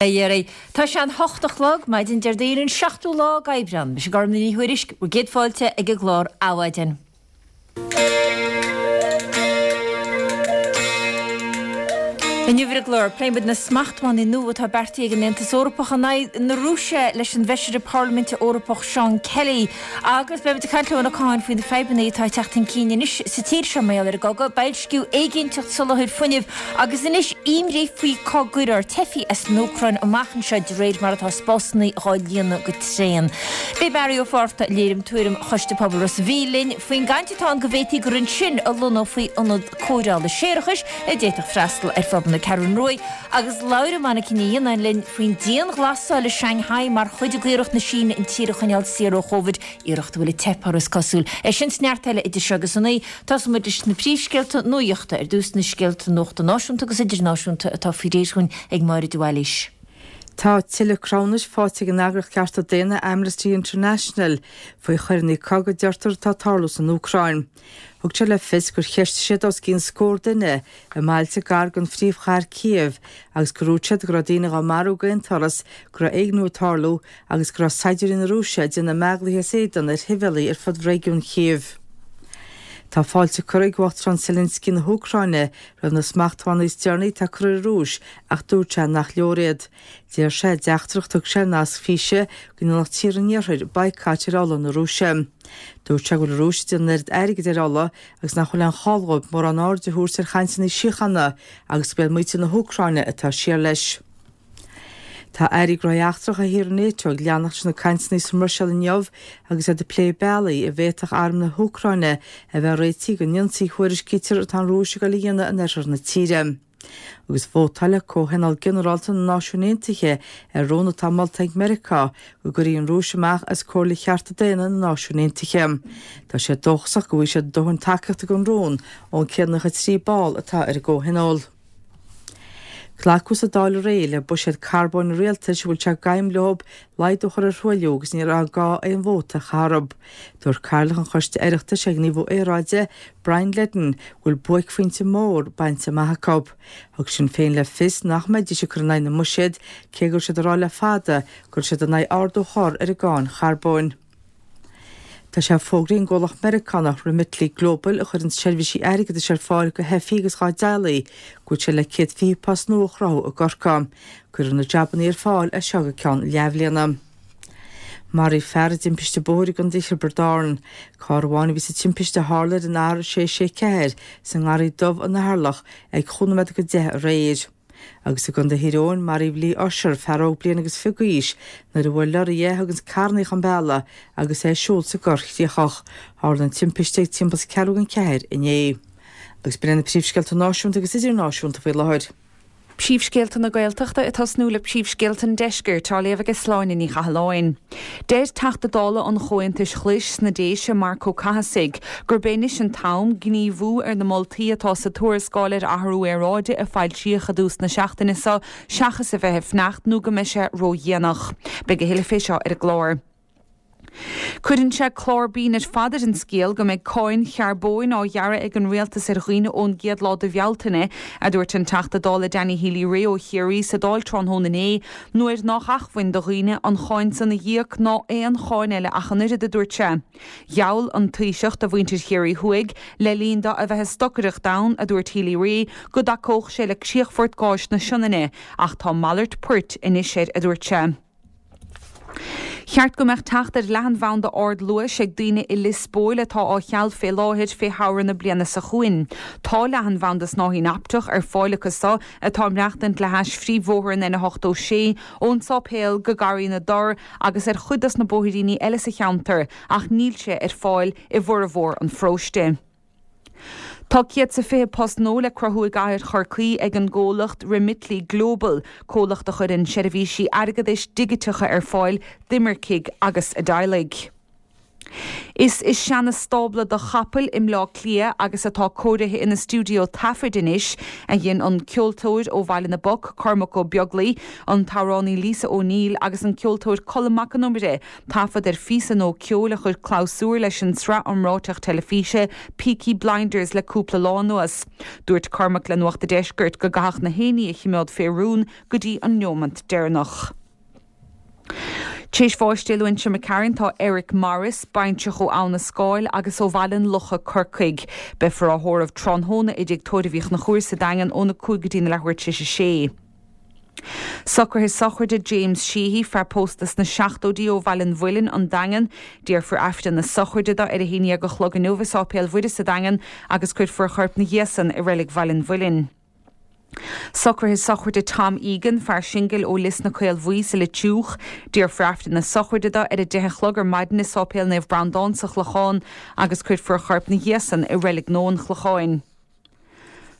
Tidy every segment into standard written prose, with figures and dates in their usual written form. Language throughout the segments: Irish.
A iarraidh. Tá sé an hocht a chlog, maidin Déardaoin an seachtú lá d'Aibreán. Mise Gormlaith Ní Thuairisg, bhur gcéad fáilte ag an gclár Adhmhaidin. Inniu ar an gclár, pléifidh muid na smachtbhannaí nua atá beartaithe ag an Aontas Eorpach in aghaidh na Rúise leis an bhFeisire Parlaiminte Eorpach Seán Kelly. Agus beidh muid ag caint le Eoin Ó Catháin faoi na fadhbanna atá ag teacht chun cinn anois sa tír seo mar gheall ar an gcogadh, boilsciú, éiginnteacht soláthair fuinnimh agus anois imní faoi cá gcuirfear teifigh as an Úcráin amach anseo de réir mar atá spásanna dhá líonadh go tréan. Beidh Barry Ó Fátharta, Léirim Tuairim Choiste Pobail Ros an Mhíl linn faoin gcaint atá ann go bhféadfaí gur ansin a lonnófaí ionad cóireála séarachais a d'fhéadfadh freastal ar phobal na Ceathrún Rua agus labhróidh Monica Ní Fhionnáin linn faoin dianghlasáil i Shanghai mar chuid d'iarracht na Síne an tír a choinneáil saor ó Chóvid, iarracht a bhfuil ag teip orthu is cosúil. É sin is neart eile idir seo agus a naoi. Tosóidh muid leis na príomhscéalta nuachta. Ar dtús na scéalta nuachta náisiúnta agus idirnáisiúnta atá faoi réir dhúinn ag Máire de Bhailís. Tá tuilleadh cruthúnais faighte ag an eagraíocht cearta daonna Amnesty International faoi choireanna cogaidh a deirtear atá ag tarlú san Úcráin. Thug sé le fios gur cheistigh siad os cionn scór duine i mbailte gar don phríomhchathair Kyiv agus gur dhúirt siad go raibh daoine dhá marú d'aon turas, go raibh éigniú ag tarlú agus go raibh saighdiúirí na Rúise ag déanamh meathlaithe as éadan ar shibhialaigh ar fud réigiún Chív. Tá fáilte curtha ag Uachtarán Zelensky na hÚcráine roimh na smachtbhannaí is deireanaí atá curtha ar an Rúis ach dúirt sé nach leor iad. Deir sé i dteachtaireacht a thug sé ar nasc físe go ndéanfadh tíortha an Iarthair baghcat ar ola na Rúise. Dúirt sé go bhfuil an Rúis ag déanamh an oiread airgid ar ola agus nach bhfuil aon chall dhóibh mórán aird a thabhairt ar chainteanna síochána agus gurb iad muintir na hÚcráine atá siar leis. Tá Airí Gnóthaí Eachtracha thíortha Nato ag leanacht leis na cainteanna sa mBruiséil inniu agus iad ag plé bealaí a bhféadfadh arm na hÚcráine a bheith réitithe don ionsaí a thuairiscítear atá an Rúis ag dul a dhéanamh in oirthear na tíre. Agus vótáilfidh Comhthionól Ginearálta na Náisiún Aontaithe ar rún atá molta ag Meiriceá go gcuirfí an Rúis amach as Comhairle Chearta Daonna na Náisiún Aontaithe. Tá sé dóchasach go bhfaighidh siad dóthain tacaíochta don rún ón 193 ball atá ar an gComhthionól. Glacadh sa Dáil aréir le buiséad carbóin an rialtais a bhfuil sé d'aidhm leo laghdú a chur ar thruailliú agus ní raibh gá aon vóta a chaitheamh orthu. Dúirt Cathaoirleach an Choiste Oireachtais ar Ghníomhú Aeráide, Brian Leddin, go bhfuil buaicphointe mór bainte amach acu. Thug Sinn Féin le fios nach mbeidís ag cur in aghaidh na mbuiséad cé go raibh siad ag rá le fada go raibh siad in aghaidh ardú a chur ar an gcáin charbóin. Tá sé fógraithe ag an gcomhlacht Meiriceánach Remitly Global, a chuireann seirbhísí airgeadais ar fáil do theifigh agus dá dteaghlaigh, go bhfuil sé le 120 post nua a chruthú i gCorcaigh. Cuirfear na jabannaí ar fáil as seo go ceann leathbhliana. Maraíodh fear i dtimpiste bóthair i gContae Thiobraid Árann. Carr amháin a bhí sa timpiste a tharla ar an R664 sa nGarraí Dubh in Eatharlach ag chúig nóiméad go 10 aréir. Agus i gContae Thír Eoghain, maraíodh Lee Ussher, fear óg bliain agus fiche d'aois, nuair a bhuail lorraí é a thuganns carrannaí chun bealaigh agus é ag siúl sa gCorr Chríochach. Tharla an timpiste ag timpeall is ceathrú don cheathair inné. Agus b'in iad na príomhscéalta náisiúnta agus idirnáisiúnta faoi láthair. Príomhscéalta na Gaeltachta ag tosnú le príomhscéalta an Deiscirt, á léamh aige Sláine Ní Chathalláin. Deir Teachta Dála an Chomhaontais Ghlais sna Déise, Marc Ó Cathasaigh, gurb é anois an t-am gníomhú ar na moltaí atá sa tuarascáil ar athrú aeráide a foilsíodh i dtús na seachtaine seo seachas a bheith ag fanacht nó go mbeidh sé ródhéanach. Beidh a thuilleadh fé seo ar an gclár. Cuireann sé clár binn ar fad ar an scéal go mbeidh cáin charbóin á ghearradh ag an rialtas ar dhaoine ón gcéad lá de Bhealtaine, a dúirt an Teachta Dála Danny Healy-Rae ó Chiarraí sa Dáil tráthnóna inné, nuair nách acmhainn do dhaoine an cháin san a dh'íoc ná aon cháin eile ach an oiread, a dúirt sé. Gheall an Taoiseach do mhuintir Chiarraí Thuaidh, le linn dó a bheith ag stocaireacht ann, a dúirt Healy-Rae, go dtacódh sé le críochfort gáis na Sionainne, ach tá malairt poirt anois air, a dúirt sé. Cheart go mbeadh teacht ar leathanbhanda ardluais ag daoine i Lios Póil atá á cheal fé láthair fé shamhradh na bliana seo chugainn. Tá leathanbhanda snáithín optach ar fáil acu so atá ag maireachtaint le hais phríomhbhóthar an N86 ón Sáipéal go Garraí na dTor agus ar chuid dos na bóithríní eile sa cheantar ach níl sé ar fáil i bhformhór an pharóiste. Tá 120 post nua le cruthú i gcathair Chorcaí ag an gcomhlacht Remitly Global, comhlacht a chuireann seirbhísí airgeadais digiteacha ar fáil d'imircigh agus a dteaghlaigh. Is i seana-stábla do chapaill i mBleá Cliath agus atá cóirithe ina stiúideo taifid anois a dhein an ceoltóir ó Bhaile na bPoc, Cormac Ó Beaglaoi, an t-amhránaí Lisa O'Neill agus an ceoltóir Colm Mac Con Iomaire taifead ar phíosa nua ceoil a chuir clabhsúr leis an tsraith iomráiteach teilifíse Peaky Blinders le cúpla lá anuas. Dúirt Cormac le Nuacht a' Deiscirt go gcaithfeadh na héinní a chimeád fé rún go dtí an neomant deireanach. T'éis bháis Dé Luain seo imigh tharainn tá Eric Morris, baintreach ó Abha na Scáil agus ó Bhaile an Locha, Corcaigh. Beifear á thórramh tráthnóna i dTigh Tórraimh Uí Chonchúir sa Daingean óna 5 go dtína leathuair tar éis a sé. Socruithe sochraide James Sheehy, fear pósta sna seachtóidí ó Bhaile an Mhuilinn, An Daingean. Déarfar Aifreann na sochraide dó ar a haon dhéag a chlog inniu i Sáipéal Mhuire sa Daingean agus cuirfear a chorp 'na dhiaidh san i Reilig Bhaile an Mhuilinn. Socruithe sochraide Tom Egan, fear singil ó Lios na Caolbhuí sa Leitriúch. Déarfar Aifreann na sochraide dó ar a deich a chlog ar maidin i Sáipéal Naomh Breandán sa Chlochán agus cuirfear a chorp 'na dhiaidh san i Reilig Nua an Chlocháin.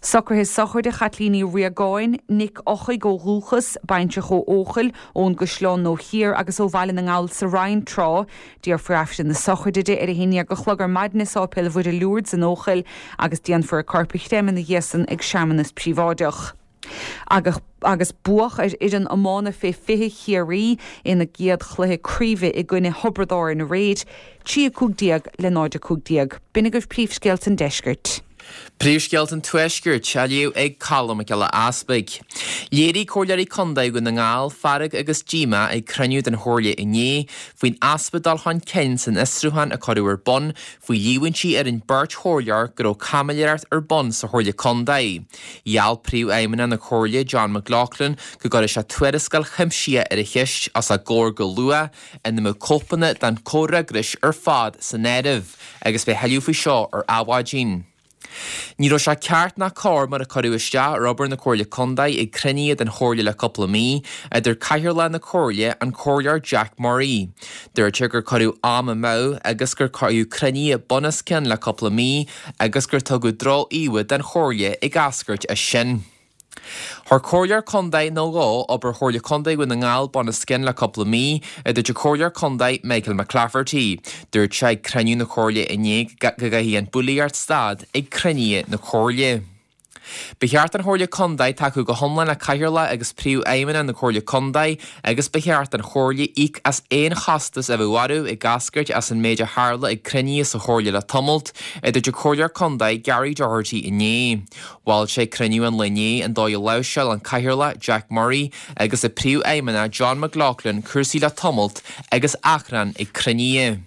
Socruithe sochraide Chaitlín Uí Riagáin, Nic Eochaidh ó dhúchas, baintreach ó Eochaill, ón gCaisleán Nua Thiar agus ó Bhaile na nGall sa Rinn tráth. Déarfar Aifreann na sochraide di ar a haon dhéag a chlog ar maidin i Sáipéal Mhuire Lourdes in Eochaill agus déanfar a corp a chreimeadh ina dhiaidh san ag searmanas príobháideach. Agus agus buadh ar fhoireann iomána fé 20 Chiarraí ina gcéad chluiche craoibhe i gcoinne Thiobraid Árann aréir, 3 15 le 0 15. B'in agaibh príomhscéalta an deiscirt. Príomhscéalta an Tuaiscirt á léamh ag Colm Mac Giolla Easpaig. Léirigh Comhairleoirí Contae Dhún na nGall fearg agus díomá ag cruinniú den Chomhairle inné faoin easpa dul chun cinn san fhiosrúchán a cuireadh ar bun faoi líomhaintí ar an beirt chomhairleoir go raibh caimiléireacht ar bun sa Chomhairle Contae. Gheall Príomhfheidhmeannach na Comhairle, John McLaughlin, go gcuirfeadh sé tuarascáil chuimsitheach ar an cheist os a gcomhair go luath ina mbeadh cóipeanna den chomhfhreagras ar fad san áireamh agus beidh tuilleadh faoi seo ar Adhmhaidin. Ní raibh sé ceart ná cóir mar a cuireadh isteach ar obair na Comhairle Contae ag cruinnithe den Chomhairle le cúpla mí, a dúirt Cathaoirleach na Comhairle, an Comhairleoir Jack Murray. Dúirt sé gur cuireadh am amú agus gur cuireadh cruinnithe bunoscionn le cúpla mí agus gur tugadh droch-íomha den Chomhairle ag eascairt as sin. Chuir Comhairleoir Contae nó dhó obair Chomhairle Contae Dhún na nGall bunoscionn le cúpla mí, a dúirt an Comhairleoir Contae Michael McClafferty. Dúirt sé ag cruinniú na Comhairle inné go gcaithfidh an bhulaíocht stad ag cruinnithe na Comhairle. Ba cheart don Chomhairle Contae tacú go hiomlán le Cathaoirleach agus Príomhfheidhmeannach na Comhairle Contae agus ba cheart don Chomhairle íoc as aon chostas a bheadh orthu ag eascairt as an méid a tharla ag cruinnithe sa Chomhairle le tamalt, a dúirt an Comhairleoir Contae Gary Doherty inné. Mhol sé ag cruinniú an lae inné an dóigh a láimhseáil an Cathaoirleach Jack Murray agus an Príomhfheidhmeannach John McLaughlin cúrsaí le tamalt agus achrann ag cruinnithe.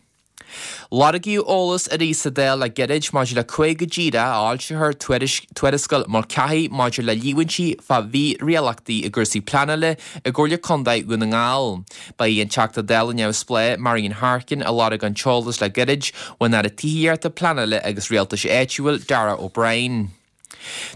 Lorgaíodh eolas arís sa Dáil le gairid maidir le cá go díreach a fhoilseofar tuarascáil Mulcahy maidir le líomhaintí fá mhírialtachtaí i gcúrsaí pleanála i gComhairle Contae Dhún na nGall. Ba í an Teachta Dála neamhspleách Marian Harkin a lorg an t-eolas le gairid ón Aire Tithíochta, Pleanála agus Rialtais Áitiúil, Darragh O'Brien.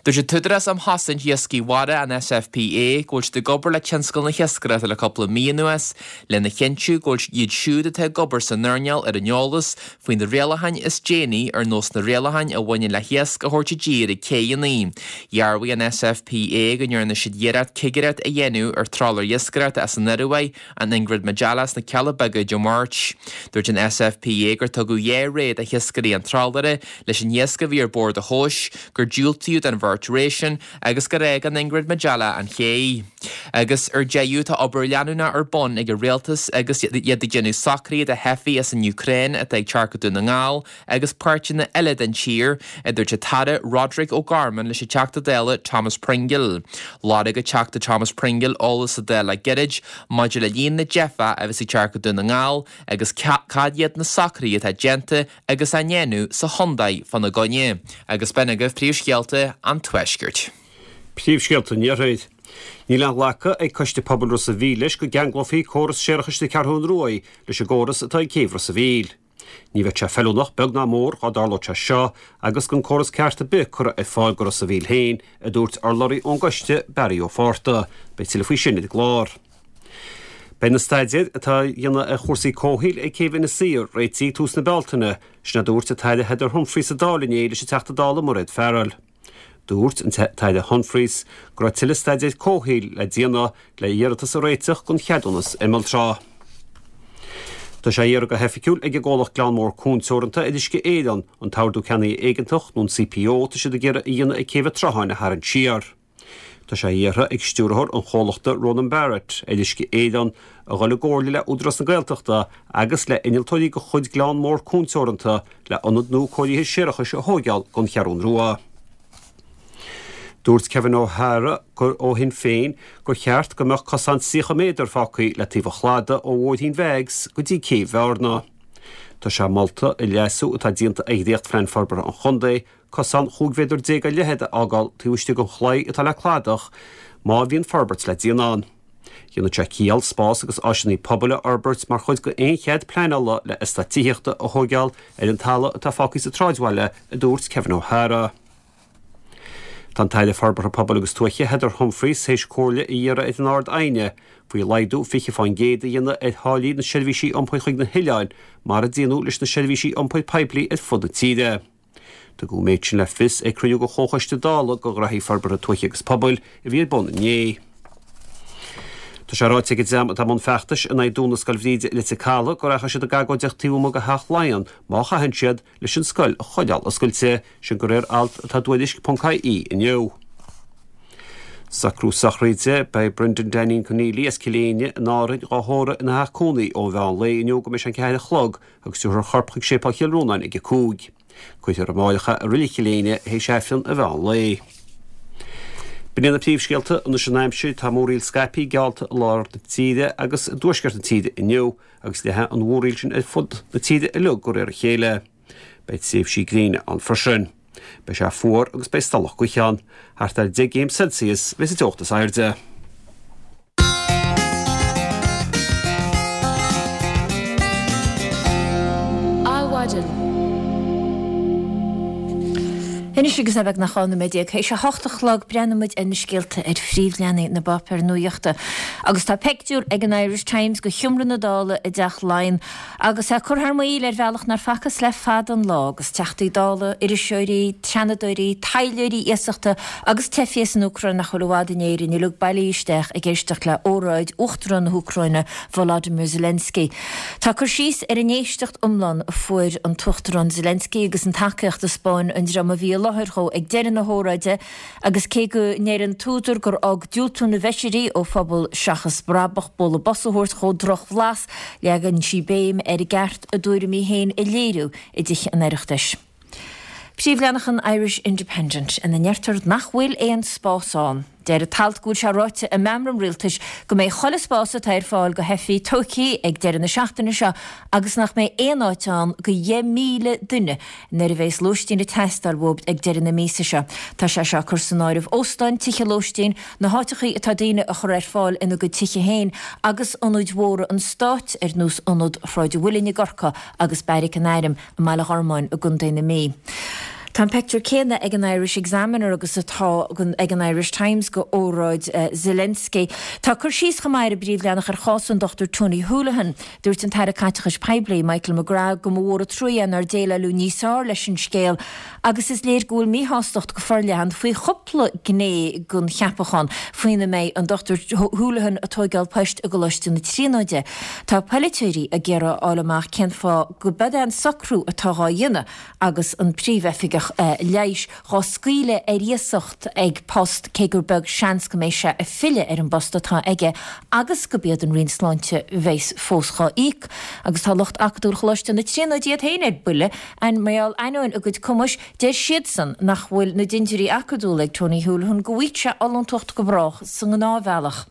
Dúirt an tÚdarás um Chosaint Iascaigh Mhara, an SFPA, go bhfuil siad ag obair le tionscal na hiascaireachta le cúpla mí anuas lena chinntiú go bhfuil iad siúd atá ag obair san earnáil ar an eolas faoi na rialacháin is déanaí ar nós na rialacháin a bhaineann le hiasc a thabhairt i dtír ag céidheanna. Dhearbhaigh an SFPA go ndearna siad iarracht cigireacht a dhéanamh ar trálaer iascaireachta as an Ioruaidh An Ingrid Majella sna Cealla Beaga Dé Máirt. Dúirt an SFPA gur tugadh 2 ré do hiascairí an trálaera leis an iasc a bhí ar bord a thomhas, gur diúltaíodh don bheirt ré sin agus gur fhág an Ingrid Majella an ché. Agus ar deireadh tá obair leanúnach ar bun ag an Rialtas agus iad ag déanamh socruithe do theifigh as an Úcráin atá ag teacht go Dún na nGall agus páirteanna eile den tír, a dúirt an tAire Roderic O'Gorman leis an Teachta Dála Thomas Pringle. Lorg an Teachta Thomas Pringle eolas sa Dáil le gairid maidir le líon na dteifeach a bheas ag teacht go Dún na nGall agus cad iad na socruithe atá déanta agus á ndéanamh sa chontae fána gcoinne. Agus b'in agaibh príomhscéalta an Tuaiscirt. Príomhscéalta an Iarthair. Níl aon ghlacadh ag Coiste Pobail Ros a' Mhíl leis go gceanglófaí córas séarachais na Ceathrún Ruaidh leis an gcóras atá ag céibh Ros a' Mhíl. Ní bheadh sé feiliúnach beag ná mór dhá dtarlódh sé seo agus gan córas ceart ar bith curtha ar fáil go Ros a' Mhíl féin, a dúirt urlabhraí ón gcoiste, Barry Ó Fátharta. Beidh tuilleadh faoi sin ar an gclár. Beidh na staidéir atá á dhéanamh ar chúrsaí comhshaoil ag céibh Inis Oírr réitithe ag tús na Bealtaine, sin a dúirt an tAire Heather Humphreys sa Dáil inné leis an Teachta Dála Mairéad Farrell. Dúirt an tAire Humphreys go raibh tuilleadh staidéir comhshaoil le déanamh le iarratas a réiteach don cheadúnas imealltrá. Tá sé á iarraidh go hoifigiúil ag an gcomhlacht Gleann Mór Cuan Teoranta ar Uisce Éireann an t-ordú ceannaithe éigeantach, nó an CPO, atá siad ag iarraidh a dhéanamh ag Céibh an tSrutháin a tharraingt siar. Tá sé iarrtha ag stiúrthóir an chomhlachta Ronan Barrett ar Uisce Éireann a dhul i gcomhairle le Údarás na Gaeltachta agus le innealtóirí de chuid Gleann Mór Cuan Teoranta le ionad nua cóirithe séarachais a thóigeáil don Cheathrún Rua. Dúirt Kevin O'Hara ó Shinn Féin gur cheart go mbeadh cosán 30 méadar fágtha le taobh an chladaigh ó Bhóithrín Mheigs go dtí Céibh Bhearna. Tá sé molta i leasú atá déanta ar dhréachtphlean forbartha an chontae cosán 15 mhéadar ar leithead a fhágáil taobh istigh den chlaí atá le cladach má bhíonn forbairt le déanamh ann. Dhéanfadh sé ciall spás agus áiseanna pobail a fhorbairt mar chuid d'aon chead pleanála le eastát tithíochta a thóigeáil ar an talamh atá fágtha sa tsráidbhaile, a dúirt Kevin O'Hara. Tá an tAire Forbartha Pobail agus Tuaithe Heather Humphreys théis comhairle a iarraidh ar an Ard-Aighne faoi laghdú 20% a dhéanamh ar tháillí na seirbhísí iompair chuig na hoileáin mar a déanadh leis na seirbhísí iompair poiblí ar fud na tíre. Tugadh an méid sin le fios ag cruinniú de Chomhchoiste Dála do Ghraithí Forbartha Tuaithe agus Pobail a bhí ar bun inné. Tá sé ráite ag an dream atá i mbun feachtais in aghaidh dúnadh Scoil Bhríde i Leitir Caladh go rachaidh siad ag agóideacht taobh amuigh de Theach Laighean má chaitheann siad leis an scoil a choinneáil oscailte, sin de réir alt atá i dTuairisc.ie inniu. Socrú sochraide, Beidh Brendan Daneen Conneely as Cill Éinne in Árainn dhá thórramh ina theach cónaí ó mheán lae inniu go mbeidh sé an 4 a chlog agus tabharfar a chorp chuig Séipéal Chill Rónáin ag 5. Cuirfear amáireach é i Reilig Chill Éinne théis Aifreann an mheán lae. B'in iad na príomhscéalta anois an aimsir. Tá múraíl scaipthe geallta i lár na tíre agus i dtuaisceart na tíre inniu agus leathfaidh an mhúraíl sin ar fud na tíre uilig de réir a chéile. Beidh tréimhsí gréine ann freisin. Beidh sé fuar agus beidh stolladh gaoithe ann. Thart ar 10 gcéim Celsius a bheidh sa teocht is airde. Adhmhaidin. Anois agus é beagnach 12 nóiméad théis a hocht a chlog, breathnóidh muid ar na scéalta ar phríomhleathanaigh na bpáipéar nuachta. Agus tá peictiúr ag an Irish Times de sheomra na Dála i dTeach Laighean Agus é curtha thar maoil ar bhealach nár facthas le fada an lá, agus Teachtaí Dála, iriseoirí, Seanadóirí, taidhleoirí iasachta agus teifigh as an Úcráin nach bhfuil i bhfad in Éirinn uilig bailithe isteach ag éisteacht le óráid Uachtarán na hÚcráine Volodymyr Zelensky. Tá cur síos ar an éisteacht iomlán a fuair an tUachtarán Zelensky agus an tacaíocht a 'spáin an dream a bhí i láthair dhó ag deireadh na hóráide Agus cé go ndeir an t-údar gur fhág diúltú na bhfeisirí ó phobal seachas brabach bualadh bos a thabhairt dhó drochbhlas, leagann sí béim ar an gceart a dtuairimí féin a léiriú i dTithe an Oireachtais. Príomhleathanach an Irish Independent ina ndeirtear nach bhfuil aon spás ann. Deir an t-alt go bhfuil sé ráite i meamram rialtais go mbeidh chuile spás atá ar fáil do theifigh tógtha ag deireadh na seachtaine seo agus nach mbeidh aon áit ann do 10,000 duine Nuair a bheas lóistín ag teastáil uathub ag deireadh na míosa seo. Tá sé seo ag cur san áireamh óstáin, tithe lóistín, na háiteachaí atá daoine a chur ar fáil ina gcuid tithe féin agus ionaid mhóra an stáit ar nós Ionad Shráid an Mhuilinn i gCorcaigh agus Beairic an Airm i mBaile Ghormáin i gContae na Mí. Tá an peictiúr céanna ag an Irish Examiner agus atá ag an Irish Times de óráid Zelensky. Tá cur síos chomh maith ar an bpríomhleathanach ar chás an Dr Tony Holohan. Dúirt an tAire Caiteachais Poiblí, Michael McGrath, go mba mhór an trua é nár déileáladh níos fearr leis an scéal agus is léir go bhfuil míshástacht go forleathan faoi chúpla gné den cheapachán faoina mbeidh an Dr Holohan ag tóigeáil poist i gColáiste na Tríonóide. Tá polaiteoirí ag iarraidh a fháil amach cén fáth go b'ead é an socrú atá dhá dhéanamh agus an príomhoifigeach leighis dhá scaoileadh ar iasacht ag post cé gur beag seans go mbeidh sé ag filleadh ar an bpost atá aige agus go b'iad an Roinn Sláinte bheas fós dhá íoc. Agus tá lucht acadúil Choláiste na Tríonóide iad féin ar buile mar gheall ainneoin a gcuid cumais, deir siadsan nach bhfuil na dintiúirí acadúla ag Tony Holohan go bhfaigheadh sé ollúntacht go brách sa ngnáthbhealach.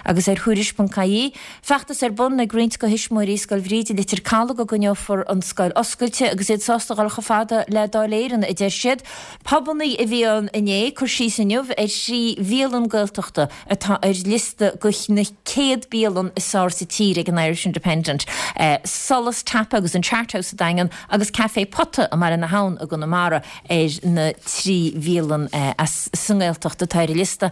Agus ar Thuairisc.ie, feachtas ar bun ag roinnt de thuismitheoirí Scoil Bhríde i Leitir Caladh go gcoinneofar an scoil oscailte agus iad sásta dhul chomh fada le Dáil Éireann, a deir siad. Pubannaí a bhí ann inné, cur síos inniu ar thrí bhialann Gaeltachta atá ar liosta de na 100 bialann is fearr sa tír ag an Irish Independent, Solas Tapa agus an Chart House sa Daingean agus Café Pota i mBaile na hAbhann i gConamara. ar na 3 bhialann as sa nGaeltacht atá ar an liosta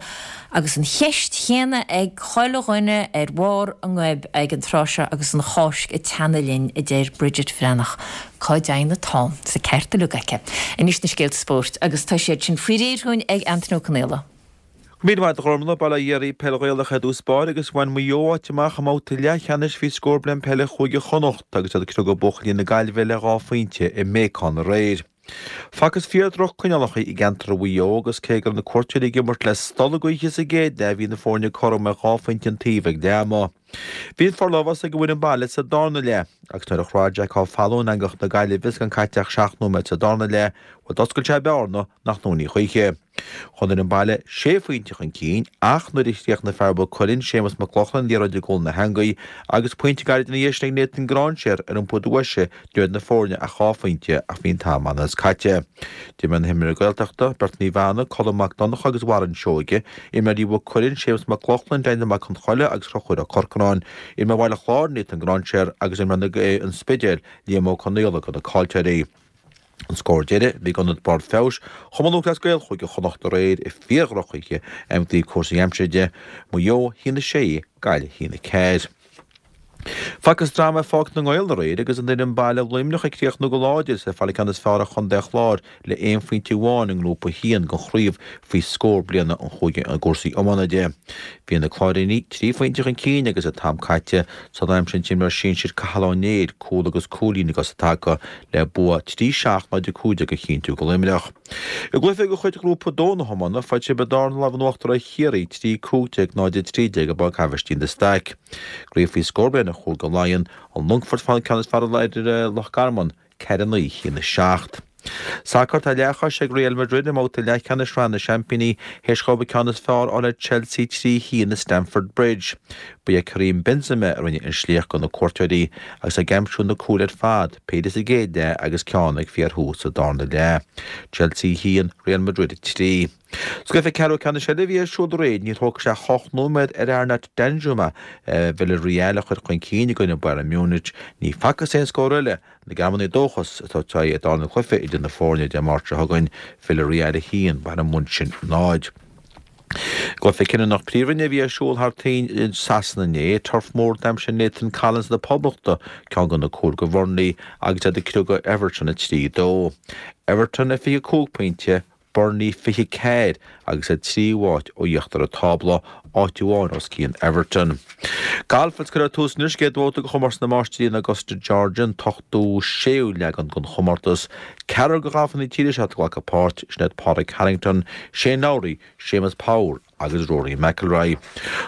agus an cheist chéanna ag chuile dhuine ar bharr a ngoib ag an tráth seo agus an Cháisc ag teannadh linn, a deir Bridget Bhreathnach. Cá dteigheann an t-am? Tá an ceart uilig aici. Anois na scéalta spóirt agus tá siad sin faoi réir dhúinn ag Antaine Ó Conaola. Go raibh míle maith agat a Ghormlaith, Bail ó Dhia oraibh, Peil Ghaelach ar dtús báire agus bhain Maigh Eo áit amach i mbabhta leathcheannais faoi scór bliain peile Chúige Chonnacht agus iad ag criogadh buachaillí na Gaillimhe le 2 phointe i mBéacán aréir. Facthas fíor droch coinneálacha i gceantar Mhaigh Eo agus cé go raibh na cuairteoirí ag imirt le stolladh gaoithe sa gcéad leath bhí na foirne cothrom ar 2 phointe an taobh ag leath ama. Bhí an forlámhas ag an bhfoireann baile sa darna leath agus nuair a chroith Jack Ó Fallúin eangach na Gaillimhe is gan caite ach 7 nóiméad sa darna leath, bhuel d'oscail sé bearna nach ndúnfaí choíche. Chuaigh an fhoireann baile sé phointe chun cinn ach nuair a chríochnaigh fear Mhaigh Cuilinn, Séamus Mac Lochlainn, an liathróid i gcúl na heangaí agus pointe gairid ina dhiaidh sin ag Nathan Gráinséar ar iompú deise ní raibh idir na foirne ach 2 phointe ach bhí an t-am an-fhada caite. D'imir na himreoirí Gaeltachta, beirt Naomh Anna, Colm Mac Donncha agus Warren Seoige, imreoirí Mhaigh Cuilinn, Séamus Mac Lochlainn, Daniel Mac Con Choille agus Conchúr Ó Corcoráin, imreoir Bhaile Chláir, Nathan Gráinséar agus imreoir an Spidéil, Liam Ó Conaola do na caillteoirí. An scór deiridh, bhí ag Ionad Barr Feabhais Chumann Lúthchleas Gael Chúige Chonnacht aréir i fíor-dhrochoíche ó thaobh cúrsaí aimsire de, Maigh Eo 1-6, Gaillimh 1-4. Facthas dráma i Pháirc na nGael aréir agus an fhoireann baile Luimneach ag críochnú go láidir is ag fáil an ceann is fearr ar chontae an Chláir le aon phointe amháin i nGrúpa 1 den chraobh faoi scór bliana an chúige i gcúrsaí iomána de. Bhí na Cláirínigh 3 phointe chun cinn agus an t-am caite so d'aimsigh an t-imreoir sinsir Cathal Ó Néill cúl agus cúilín i gcos i dtaca le bua 3 7 0 15 a chinntiú do Luimneach. I gcluiche de chuid Ghrúpa 2 na hiomána, fuair Tiobraid Árann an lámh in uachtar ar Chiarraí 3 15 0 13 i bPáirc Aibhistín de Staic. I gcraobh faoi scór bliana Chúige Laighean, an Longfort ag fáil an ceann is fearr ar Loch Garman, 4 9 1 7. Sacar, Tá leathchois ag Real Madrid i mbabhta leathcheannais Shraith na Seaimpíní théis dhóibh an ceann is fearr a fháil ar Chelsea 3 1 i Stamford Bridge. Ba é Karim Benzema a rinne an sliocht do na cuairteoirí agus é ag aimsiú na cúil ar fad, péire sa gcéad leath agus ceann ag fíorthús sa darna leath. Chelsea 1, Real Madrid 3. Sa gcluiche ceathrú ceannais eile a bhí ar siúl aréir, níor thóg sé ach 8 nóiméad ar Arnaut Danjuma Villarreal a chur chun cinn i gcoinne Bayern Munich. Ní facthas aon scór eile. Na Gearmánaigh dóchas ag tabhairt aghaidh ar darna cluiche idir na foirne Dé Máirt seo chugainn, Villarreal 1, Bayern München 0. Cluiche cinniúnach Príomhroinne a bhí ar siúl thar toinn i Sasana inné. Turf Moor d'aimsigh Nathan Collins na Poblachta ceann de na cúil do Bhurnley agus iad ag criogadh Everton 3, 2. Everton ar 25 pointe, Burnley 24 agus iad 3 áit ó íochtar an tábla, áit amháin os cionn Everton. Galf agus cuirfear tús anois chéad bhabhta de chomórtas na Máistrí in Augusta, Georgia, an t-ochtú séú leagan den chomórtas. Ceathrar de ghalfaithe na tíre seo ag glacadh páirt, sin iad Pádraig Harrington, Shane Lowry, Séamus Power agus Rory McIlroy.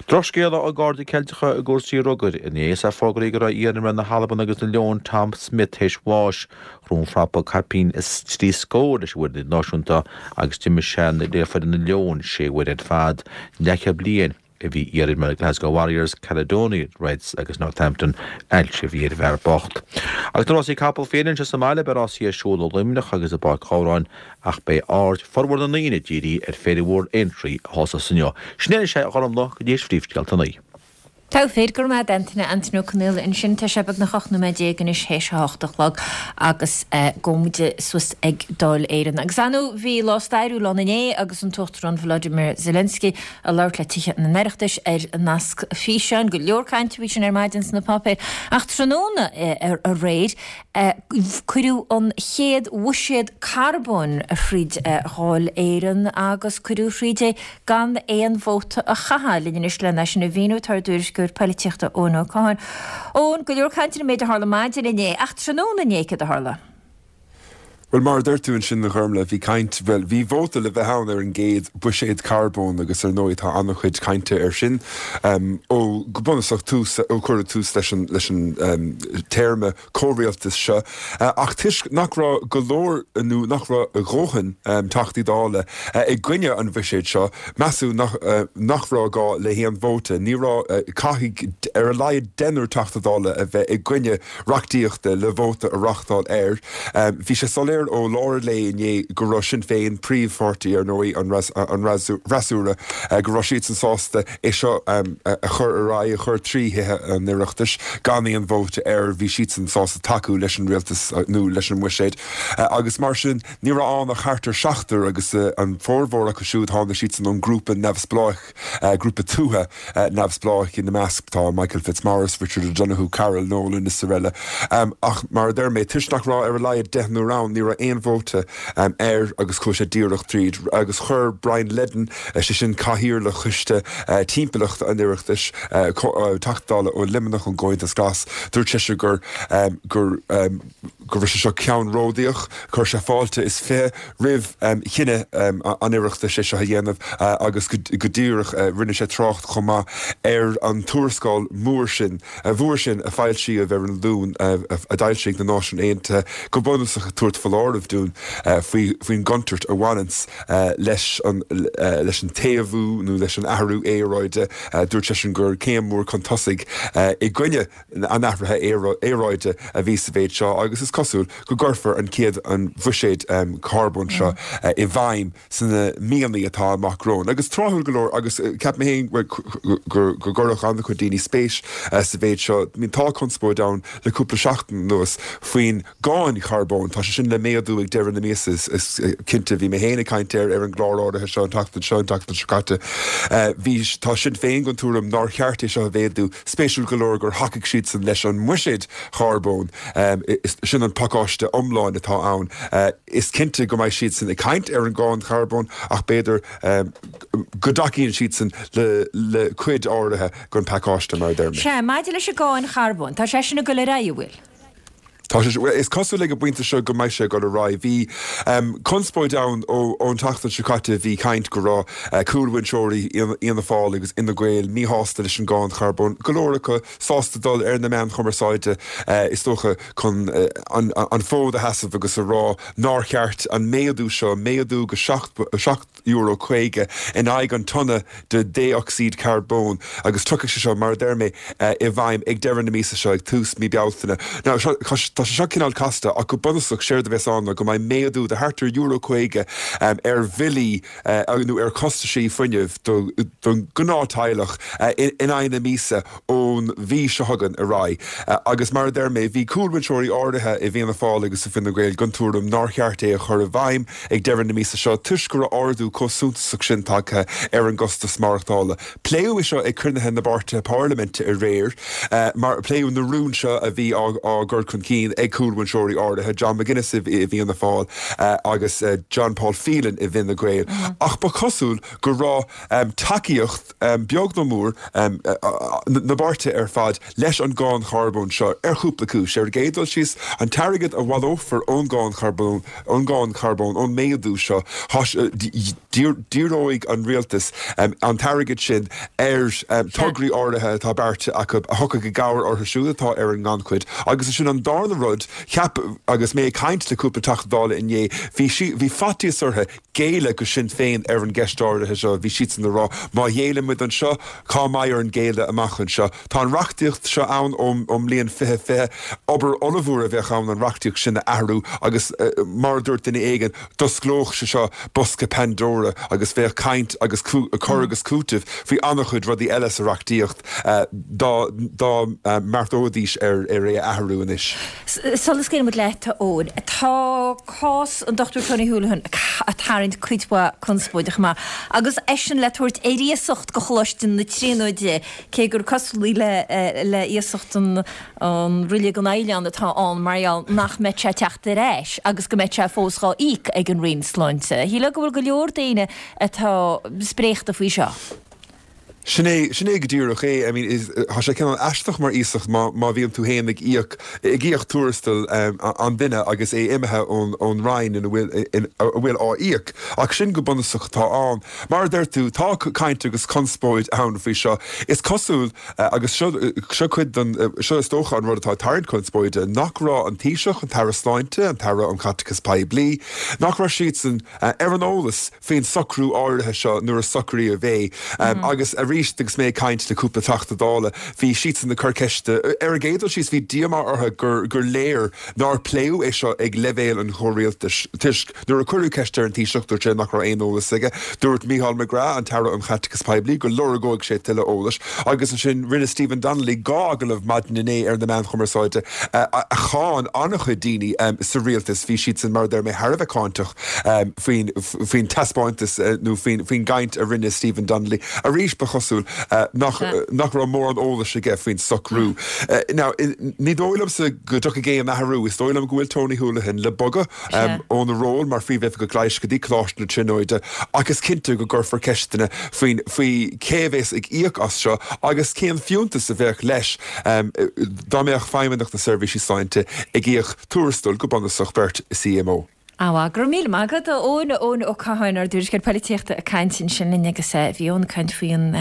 Drochscéala ó gcairde Ceilteacha i gcúrsaí rugair inné is ea fógraíodh go raibh iarimreoir na hAlban agus na Leon Tom Smith théis bháis. Chrom frapa caipín is trí scór leis an bhfoireann idirnáisiúnta agus d'imir sé le foireann na Leon sé huaire ar fad. Leathchéad bliain a bhí iarimreoir Glasgow Warriors, Caledonian Reds agus Northampton ailse a bhí ar an bhfear bocht. Agus na rásaí capall féin anseo sa mbaile beidh rásaí ar siúl i Luimneach agus i bPáirc Ghabhráin Ach beidh aird formhór na ndaoine dírithe ar Féile Mhór Aintree a thosós inniu. Sin é anois é, a Ghormlaith, go dtí théis phríomhscéalta a naoi. Togha fir, go raibh maith agat Antaine, Antaine Ó Conaola ansin. Tá sé beagnach 18 nóiméad anois théis a hocht a chlog agus gabhfaidh muid suas ag Dáil Éireann. Agus ar ndóigh bhí lá stairiúil ann inné agus an tUachtarán Volodymyr Zelensky ag labhairt le Tithe an Oireachtais ar nasc físeáin. Go leor cainte faoi sin ar maidin sna páipéir. Ach tráthnóna aréir Cuireadh an chéad bhuiséad carbóin thríd Dháil Éireann agus cuireadh thríd é gan aon vóta a chaitheamh. Linn anois lena sin a mhíniú tá ár dtuairisceoir poilitíochta Eoin Ó Catháin. Eoin, go leor cainte ar an méid a tharla maidin inné, ach tráthnóna inné céard a tharla? Bhuel, mar a dúirt tú ansin, a Ghormlaith, bhí caint, bhuel, bhí vóta le bheith ann ar an gcéad bhuiséad carbóin agus ar ndóigh tá an-chuid cainte air sin ó, go bunúsach, tús, ó cuireadh tús leis an, leis an téarma comhrialtais seo. Ach toisc nach raibh go leor, nó nach raibh a dhóthain Teachtaí Dála i gcoinne an bhuiséid seo, measadh nach, nach raibh gá le haon vóta. Ní raibh, caithfidh ar a laghad deichniúr Teachta Dála a bheith i gcoinne reachtaíochta le vóta a reáchtáil air. Bhí sé soiléir ó lár an lae inné go raibh Sinn Féin, príomhpháirtí, ar ndóigh, an fhreasúra, go raibh siadsan sásta é seo a chur ar aghaidh, a chur trí Thithe an Oireachtais gan aon vóta air. Bhí siadsan sásta tacú leis an rialtas nó leis an mbuiséad agus mar sin ní raibh ann ach thart ar sheachtar agus an formhór acu siúd tháinig siadsan ón ngrúpa neamhspleách, grúpa tuaithe. neamhspleách ina measc tá Michael Fitzmaurice, Richard O'Donoghue, Carol Nolan is araile. Ach mar a deir mé, toisc nach raibh ar a laghad deichniúr ann, ní raibh. raibh aon vóta air agus chuaigh sé díreach tríd agus chuir Brian Leddin, sé sin Cathaoirleach Choiste Timpeallachta an Oireachtais, Teachta Dála ó Luimneach ón gComhaontas Glas, dúirt seisean gur gur go raibh sé seo ceannródaíoch. Chuir sé fáilte is 20 roimh chinneadh an Oireachtais é seo a dhéanamh agus go díreach rinne sé trácht chomh maith ar an tuarascáil mhór sin mhór sin a foilsíodh ar an Luan a d'fhoilsigh na Náisiúin Aontaithe go bunúsach ag tabhairt foláireamh dúinn faoi faoin gcontúirt a bhaineanns leis an leis an téamhú nó leis an athrú aeráide. Dúirt seisean gur céim mhór chun tosaigh i gcoinne an athraithe aeráide a bhí sa mhéid seo agus is cosúil go gcuirfear an chéad an bhuiséad carbóin seo i bhfeidhm sna míonna atá amach romhainn. Agus tráthúil go leor, agus ceapaim féin go gcuirfeadh an-chuid daoine spéis sa mhéid seo, tá conspóid ann le cúpla seachtain anuas faoin gcáin charbóin. Tá sé sin le méadú ag deireadh na míosa, is cinnte. Bhí mé féin ag caint air ar an gclár áirithe seo an tseachtain seo, an tseachtain seo caite. Bhí, tá Sinn Féin den tuairim nár cheart é seo a mhéadú. Spéisiúil go leor gur thacaigh siadsan leis an mbuiséad charbóin. Sin an pacáiste iomlán atá ann. Is cinnte go mbeidh siadsan ag caint ar an gcáin charbóin ach b'fhéidir go dtacaíonn siadsan le cuid áirithe den phacáiste, mar a deir mé. Sea, maidir leis an gcáin charbóin, tá sé sin ag dul ar aghaidh, an bhfuil? Tá sé, bhuel, is cosúil ag an bpointe seo go mbeidh sé ag dul ar aghaidh. Bhí conspóid ann ón tseachtain seo caite, bhí caint go raibh cúlbhinseoirí Fhianna Fáil agus Fhine Gael míshásta leis an gcáin charbóin, go leor acu sásta dul ar na meáin chumarsáide, is dócha, chun an fód a sheasamh agus a rá nár cheart an méadú seo, méadú go €7.50 in aghaidh an tonna de dhé-ocsaíd charbóin agus tiocfaidh sé seo, mar a deir mé, i bhfeidhm ag deireadh na míosa seo, ag tús mí Bealtaine. Now, tá sé seo cineál casta ach go bunúsach séard a bheas ann ná go mbeidh méadú de thart ar €50 ar bhillí nó ar chostaisí fuinnimh don ghnáth-teaghlach in aghaidh na míosa ón mhí seo chugainn ar aghaidh. Agus mar a deir mé, bhí cúlbhinseoirí áirithe i bhFianna Fáil agus i bhFine Gael den tuairim nár cheart é a chur i bhfeidhm ag deireadh na míosa seo toisc go raibh ardú chomh suntasach sin tagtha ar an gcostas maireachtála. Pléadh é seo ag cruinnithe na bpáirtithe parlaiminte aréir, mar pléadh na rúin seo a bhí á gcur chun cinn ag cúlbhinseoirí áirithe, John McGuinness i bhFianna Fáil agus John Paul Phelan i bhFine Gael. Ach ba chosúil go raibh tacaíocht, beag nó mór, na bpáirtithe ar fad leis an gcáin charbóin seo ar chúpla cúis. Ar an gcéad dul síos, an t-airgead a bhaileofar ón gcáin charbóin, ón gcáin charbóin, ón méadú seo, díreoidh an rialtas an t-airgead sin ar tograí áirithe atá beartaithe acu a thiocfaidh i gcabhair orthu siúd atá ar an ngannchuid. Agus ansin an darna rud, cheap, agus mé ag caint le cúpla Teachta Dála inné, bhí, bhí faitíos orthu géilleadh go Sinn Féin ar an gceist áirithe seo. Bhí siadsan ag rá, má ghéilleann muid anseo, cá mbeidh orainn géilleadh amach anseo? Tá an reachtaíocht seo ann ón mbliain 2020. Obair ollmhór a bheadh ann an reachtaíocht sin a athrú agus, mar a dúirt duine éigin, d'osclódh sé seo bosca Pandora agus bheadh caint agus cur agus cúiteamh faoi an-chuid rudaí eile sa reachtaíocht dá mbeartóidís ar é a athrú anois. Sula scaoileann muid leat, a Eoin, tá cás an Dr Tony Holohan ag tarraingt cuid mhaith conspóide chomh maith, agus eisean le tabhairt ar iasacht go Choláiste na Tríonóide, cé gur cosúlaí le iasacht an roilig an oileán atá ann mar gheall nach mbeidh sé ag teacht ar ais agus go mbeidh sé fós dhá íoc ag an Roinn Sláinte. Shílfeá go bhfuil go leor daoine atá spréachta faoi seo. Sin é, sin é go díreach é. I mean, is, tá sé cineál aisteach mar iasacht má, má bhíonn tú féin ag íoc, ag íoc tuarastal an duine agus é imithe ón, ón Roinn ina bhfuil, in, a bhfuil á íoc. Ach sin go bunúsach atá ann. Mar a deir tú, tá caint agus conspóid ann faoi seo. Is cosúil, agus seo, seo cuid den, seo is dócha an rud atá ag tarraingt conspóide, nach raibh an Taoiseach, an tAire Sláinte, an tAire um Chaiteachas Poiblí, nach raibh siadsan ar an eolas faoin socrú áirithe seo nuair a socraíodh é. Agus arís agus mé ag caint le cúpla Teachta Dála, bhí siadsan ag cur ceiste, ar an gcéad dul síos bhí díomá orthu gur gur léir nár pléadh é seo ag leibhéal an chomhrialtais toisc nuair a cuireadh ceist ar an Taoiseach dúirt sé nach raibh aon eolas aige. Dúirt Mícheál McGrath, an tAire um Chaiteachas Poiblí, go lorgóidh sé tuilleadh eolais agus ansin rinne Stephen Donnelly 2 agallamh maidin inné ar na meáin chumarsáide a cháin an-chuid daoine sa rialtas. Bhí siadsan, mar a deir mé, thar a bheith cáinteach. faoin taispeántas nó faoin gcaint a rinne Stephen Donnelly. Arís, ba chosúil. cosúil, nach nach raibh mórán eolais aige faoin socrú. Now, ní dóigh liomsa go dtiocfaidh aon athrú, is dóigh liom go bhfuil Tony Holohan le bogadh óna ról mar Phríomhoifigeach Leighis go dtí Coláiste na Tríonóide ach is cinnte go gcuirfear ceisteanna faoin faoi cé a bheas ag íoc as seo agus cén fiúntas a bheadh leis dá mbeadh Feidhmeannacht na Seirbhísí Sláinte ag íoc tuarastal go bunúsach beirt CMO. Á, go raibh míle maith agat, a Eoin, Eoin Ó Catháin, ár dtuairisceoir polaitíochta ag caint ansin linn agus bhí Eoin ag caint faoi an,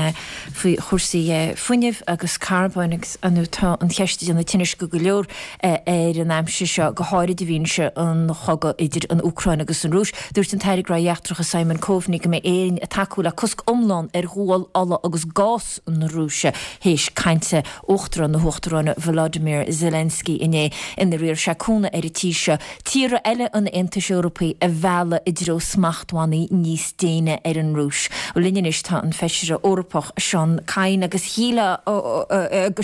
faoi chúrsaí fuinnimh agus carbóin agus ar ndóigh tá an cheist ag déanamh tinnis go go leor ar an aimsir seo, go háirid i bhfianaise an chogadh idir an Úcráin agus an Rúis. Dúirt an tAire Gnóthaí Eachtracha Simon Coveney go mbeidh Éirinn ag tacú le cosc iomlán ar ghual, ola agus gás na Rúise théis cainte Uachtarán na hÚcráine Volodymyr Zelensky inné inar iarr sé cúnamh ar an tír seo tíortha eile an Aontais Eorpaigh a mhealladh i dtreo smachtbhannaí níos déine ar an Rúis. Linn anois tá an Feisire Eorpach Seán Kyne agus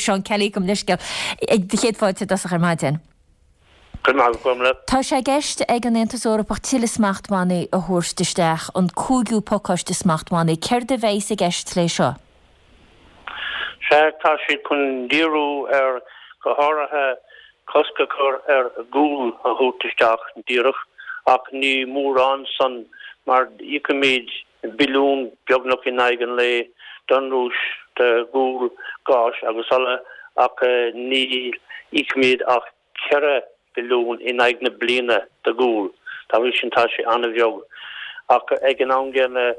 Seán Kelly, gabh mo leithscéal, do chéad fáilte i dtosach ar maidin. Go raibh maith agat, Gormlaith. Tá sé i gceist ag an Aontas Eorpach tuilleadh smachtbhannaí a thabhairt isteach, an cúigiú pacáiste smachtbhannaí. Céard a bheas i gceist le seo? Sea, tá siad chun díriú ar, go háirithe, cosc a chur ar ghual a thabhairt isteach díreach, ach ní mórán san mar íocaimid billiún beagnach in aghaidh an lae don Rúis do ghual, gás agus ola, ach ní íocaimid ach 4 billiún in aghaidh na bliana do ghual. Dá bhrí sin tá sé an-bheag. Ach ag an am gcéanna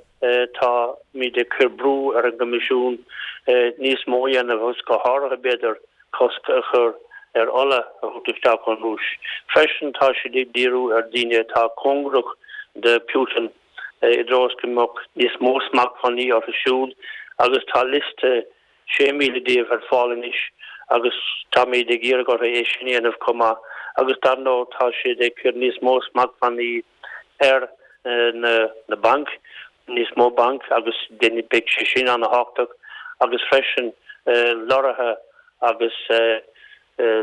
táimid ag cur brú ar an gCoimisiún níos mó a dhéanamh agus go háirithe b'fhéidir cosc a chur ar ola a thabhairt isteach ón Rúis. Freisin tá siad ag díriú ar daoine atá cóngarach do Putin i dtreo is go mbeadh níos mó smachtbhannaí orthu siúd agus tá liosta 6,000 díobh ar fáil anois agus táimid ag iarraidh orthu é sin a dhéanamh chomh maith agus dar ndóigh tá siad ag cur níos mó smachtbhannaí ar na bainc, níos mó banc agus beidh sé sin an-thábhachtach agus freisin lorraithe agus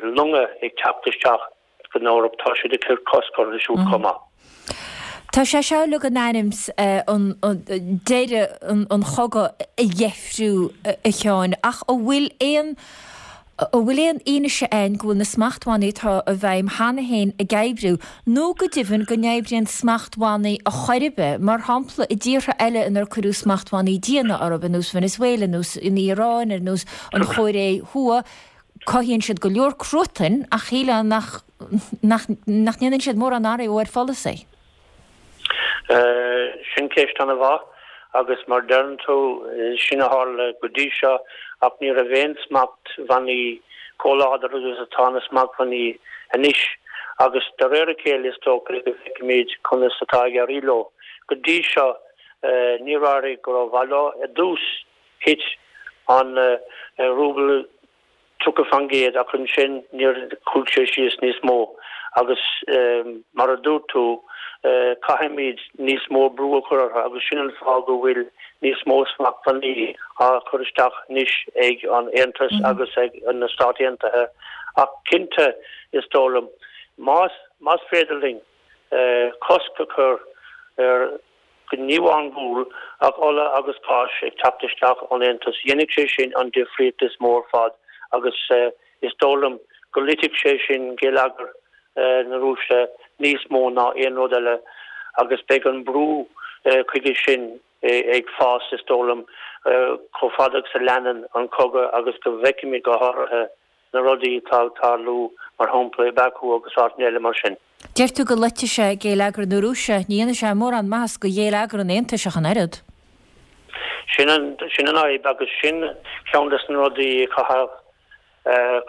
longa ag teacht isteach. San Eoraip, tá siad ag cur cosc orthu siúd chomh maith. Tá sé seo uilig in ainm is deireadh an chogaidh a dheifriú, a Sheáin, ach an bhfuil aon an bhfuil aon fhianaise ann go bhfuil na smachtbhannaí atá i bhfeidhm cheana féin ag oibriú, nó go deimhin go n-oibríonn smachtbhannaí a chor ar bith, mar shampla i dtíortha eile inar cuireadh smachtbhannaí diana orthu, ar nós Venezuela, ar nós an Iaráin, ar nós an Chóiré Thuaidh. Cothaíonn siad go leor cruatain ach shílfeá nach nach nach ndéanann siad mórán athrú ar pholasaí. Sin ceist an-mhaith agus mar deireann tú, sin a tharla go dtí seo ach ní raibh aon smachtbhannaí chomh láidir agus atá na smachtbhannaí anois agus de réir a chéile is dócha go bhfeicfimid conas atá ag éirí leo. Go dtí seo níor éirigh go rómhaith leo. I dtús Thit an rúbal 30% ach ansin níor chuaigh sé síos níos mó agus mar a dúirt tú caithfimid níos mó brú a chur orthu agus sin an fáth go bhfuil níos mó smachtbhannaí á chur isteach anois ag an Aontas agus ag na Stáit Aontaithe ach cinnte is dóigh liom más más féidir linn cosc a chur ar ní amháin gual, ach ola agus gás ag teacht isteach ón Aontas. Dhéanfadh sé sin an difríocht is mó ar fad agus is dóigh liom go loitfeadh sé sin geilleagar na Rúise níos mó ná aon rud eile agus beidh an brú chuige sin ag fás, is dóigh liom, chomh fada agus a leanann an cogadh agus go bhfeicfimid go háirithe na rudaí atá ag tarlú, mar shampla, i Baku agus áiteanna eile mar sin. Deir tú go loitfidh sé géilleagar na Rúise, ní dhéanfaidh sé mórán maitheas do ghéilleagar an Aontais ach an oiread. Sin an fhadhb agus sin ceann des na rudaí a chaithfear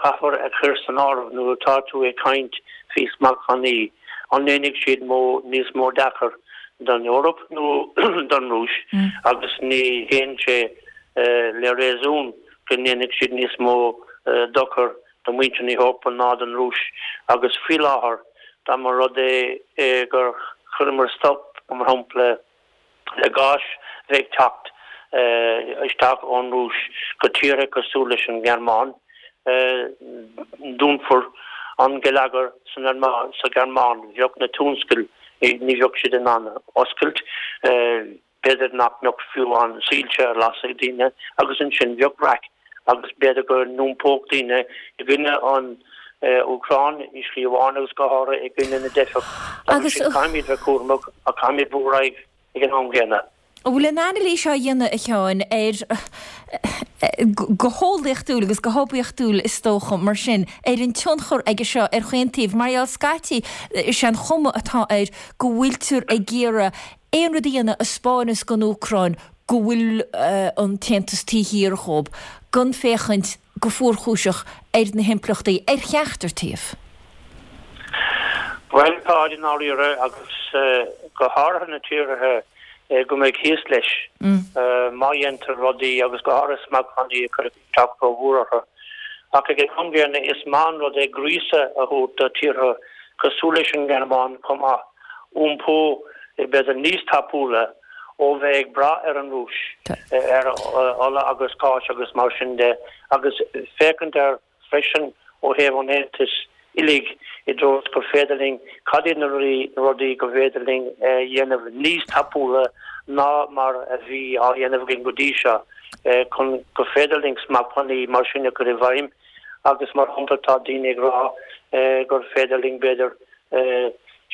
caithfear a chur san áireamh nuair atá tú ag caint faoi smachtbhannaí, an ndéanfaidh siad níos mó dochair don Eoraip nó don Rúis agus ní théann sé le réasún go ndéanfaidh siad níos mó dochar do mhuintir na hEorpa ná don Rúis agus faoi láthair dá mba rud é gur chuireamar stop, mar shampla, le gás a bheith ag teacht isteach ón Rúis go tíortha cosúil leis an nGearmáin, dúnfar an geilleagar sa Ghearmáin, bheadh na tionscail, ní bheadh siad in ann oscailt. B'fhéidir nach mbeadh fiú an soilse ar lasadh ag daoine agus ansin bheadh raic agus b'fhéidir go n-iompódh daoine i gcoinne an Úcráin i slí amháin agus go háirithe i gcoinne na dteifeach. Agus sin caithfimid bheith cúramach ach caithfimid brú ar aghaidh ag an am gcéanna. An bhfuil an anailís á dhéanamh, a Sheáin, ar, go heolaíochtúil agus go hoibiachtúil is dócha, mar sin, ar an tionchar aige seo ar chaon taobh? Mar gheall scaití, is é an chuma atá air go bhfuiltear ag iarraidh aon rud a dhéanamh a 'spáineas don Úcráin go bhfuil an tAontas taobh thiar dhób, gan féachaint go fuarchúiseach ar na himpleachtaí ar cheachtar taobh. Bhuel, tá, i ndáiríre, agus go háirithe na tíortha go mbeidh thíos leis má dhéantar rudaí agus go háirithe smachtbhannaí a chur isteach rómhór orthu. Ach ag an am gcéanna, is maith an rud é gríosadh a thabhairt do tíortha cosúil leis an nGearmáin chomh maith, iompú b'fhéidir níos tapúla ó bheith ag brath ar an Rúis, ar ola agus gás agus mar sin de, agus féachaint air freisin ó thaobh an Aontais uilig i dtreo is gur féidir linn, cad iad na rudaí go bhféidir linn a dhéanamh níos tapúla ná mar a bhí á dhéanamh againn go dtí seo chun go féidir linn smachtbhannaí mar sin a chur i bhfeidhm agus mar shampla tá daoine ag rá gur féidir linn b'fhéidir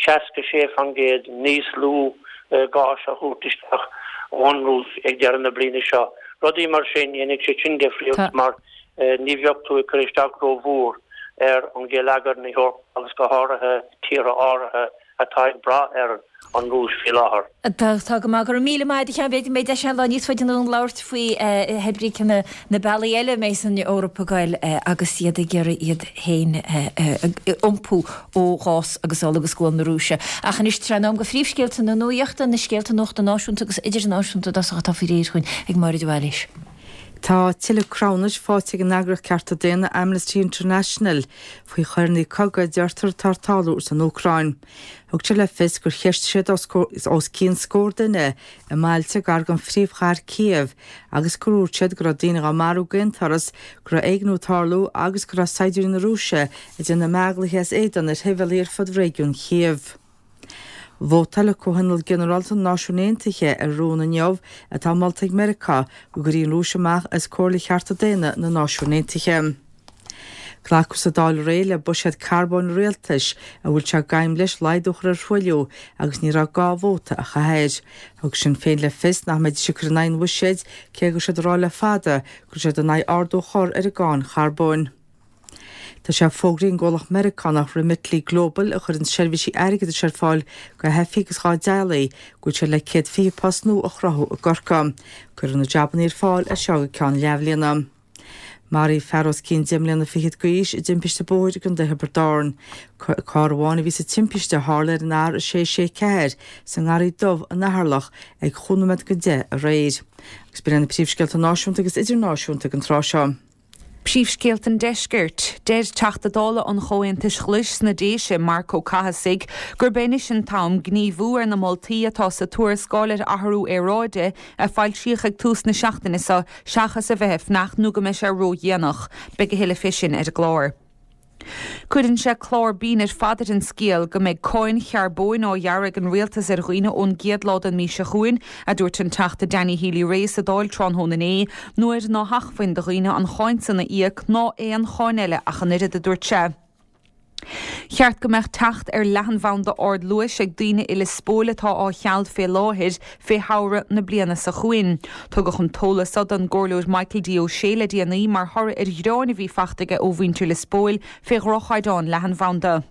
66% níos lú gáis a thabhairt isteach ón Rúis ag deireadh na bliana seo. Rudaí mar sin, dhéanfadh sé sin difríocht mar ní bheadh tú ag cur isteach rómhór ar an gheilleagar na hEorpa agus go háirithe tíortha áirithe atá ag brath ar an Rúis faoi láthair. Tá go maith. Go raibh míle maith agat, a Sheáin. B'fhéidir go mbeidh deis ann lá níos faide anonn labhairt faoi hé brí cé na bealaí eile a mbeidh an Eoraip ag goil agus iad ag iarraidh iad féin a iompú ó ghás agus ola agus gual na Rúise. Ach anois tráth an am do phríomhscéalta na nuachta, na scéalta nuachta náisiúnta agus idirnáisiúnta i dtosach atá faoi réir chugainn ag Máire de Bhailís. Tá tuilleadh cruthúnais faighte ag an eagraíocht cearta daonna Amnesty International faoi choireanna cogaidh a deirtear atá ag tarlú san Úcráin. Thug sé le fios gur cheistigh siad os cionn scór duine i mbailte gar don phríomhchathair Kiev agus gur dhúirt siad go raibh daoine á marú d'aon turas, go raibh éigniú ag tarlú agus go raibh saighdiúirí na Rúise ag déanamh meánlaethe as éadan ar shibhialaigh ar fud réigiún Chív. Vótáil Comhthionól Ginearálta na Náisiún Aontaithe ar rún inniu atá molta ag Meiriceá go gcuirfí an Rúis amach as Comhairle Chearta Daonna na Náisiún Aontaithe. Glacadh sa Dáil aréir le buiséad carbóin an rialtais a bhfuil sé d'aidhm leis laghdú a chur ar thruailliú agus ní raibh gá vóta a chaitheamh air. Thug Sinn Féin le fios nach mbeidís ag cur in aghaidh an bhuiséid cé go raibh siad ag rá le fada go raibh siad in aghaidh ardú a chur ar an gcáin charbóin. Tá sé fógraithe ag an gcomhlacht Meiriceánach Remitly Global a chuireann seirbhísí airgeadais ar fáil do theifigh agus dá dteaghlaigh go bhfuil siad le 120 post nua a chruthú i gCorcaigh. Cuirfear na jabannaí ar fáil as seo go ceann leathbhliana. Maraíodh fear os cionn deich mbliana fichead d'aois i dtimpiste bóthair i gContae Thiobraid Árann. Carr amháin a bhí sa timpiste a tharla ar an R664 sa nGarraí Dubh in Eatharlach ag chúig nóiméad go 10 aréir. Agus b'in iad na príomhscéalta náisiúnta agus idirnáisiúnta ag an tráth seo. Príomhscéalta an Deiscirt. Deir Teachta Dála an Chomhaontais Ghlais sna Déise, Marc Ó Cathasaigh, gurb é anois an t-am gníomhú ar na moltaí atá sa tuarascáil ar athrú aeráide a foilsíodh ag tús na seachtaine seo seachas a bheith ag fanacht nó go mbeidh sé ródhéanach. Beidh a thuilleadh fé sin ar an gclár. Cuireann sé clár binn ar fad ar an scéal go mbeidh cáin charbóin á ghearradh ag an rialtas ar dhaoine ón gcéad lá den mhí seo chugainn, a dúirt an Teachta Danny Healy-Rae sa Dáil tráthnóna inné, nuair ná hacmhainn do dhaoine an cháin san a íoc ná aon cháin eile ach an oiread, a dúirt sé. Cheart go mbeadh teacht ar leathanbhanda ardluais ag daoine i Lios Póil atá á cheal fé láthair fé shamhradh na bliana seo chugainn. Tugadh an t-eolas seo don gComhairleoir Michael D. Ó Sé le déanaí mar thoradh ar ghearáin a bhí fachta aige ó mhuintir Lios Póil fé dhroch-chaighdeán leathanbhanda.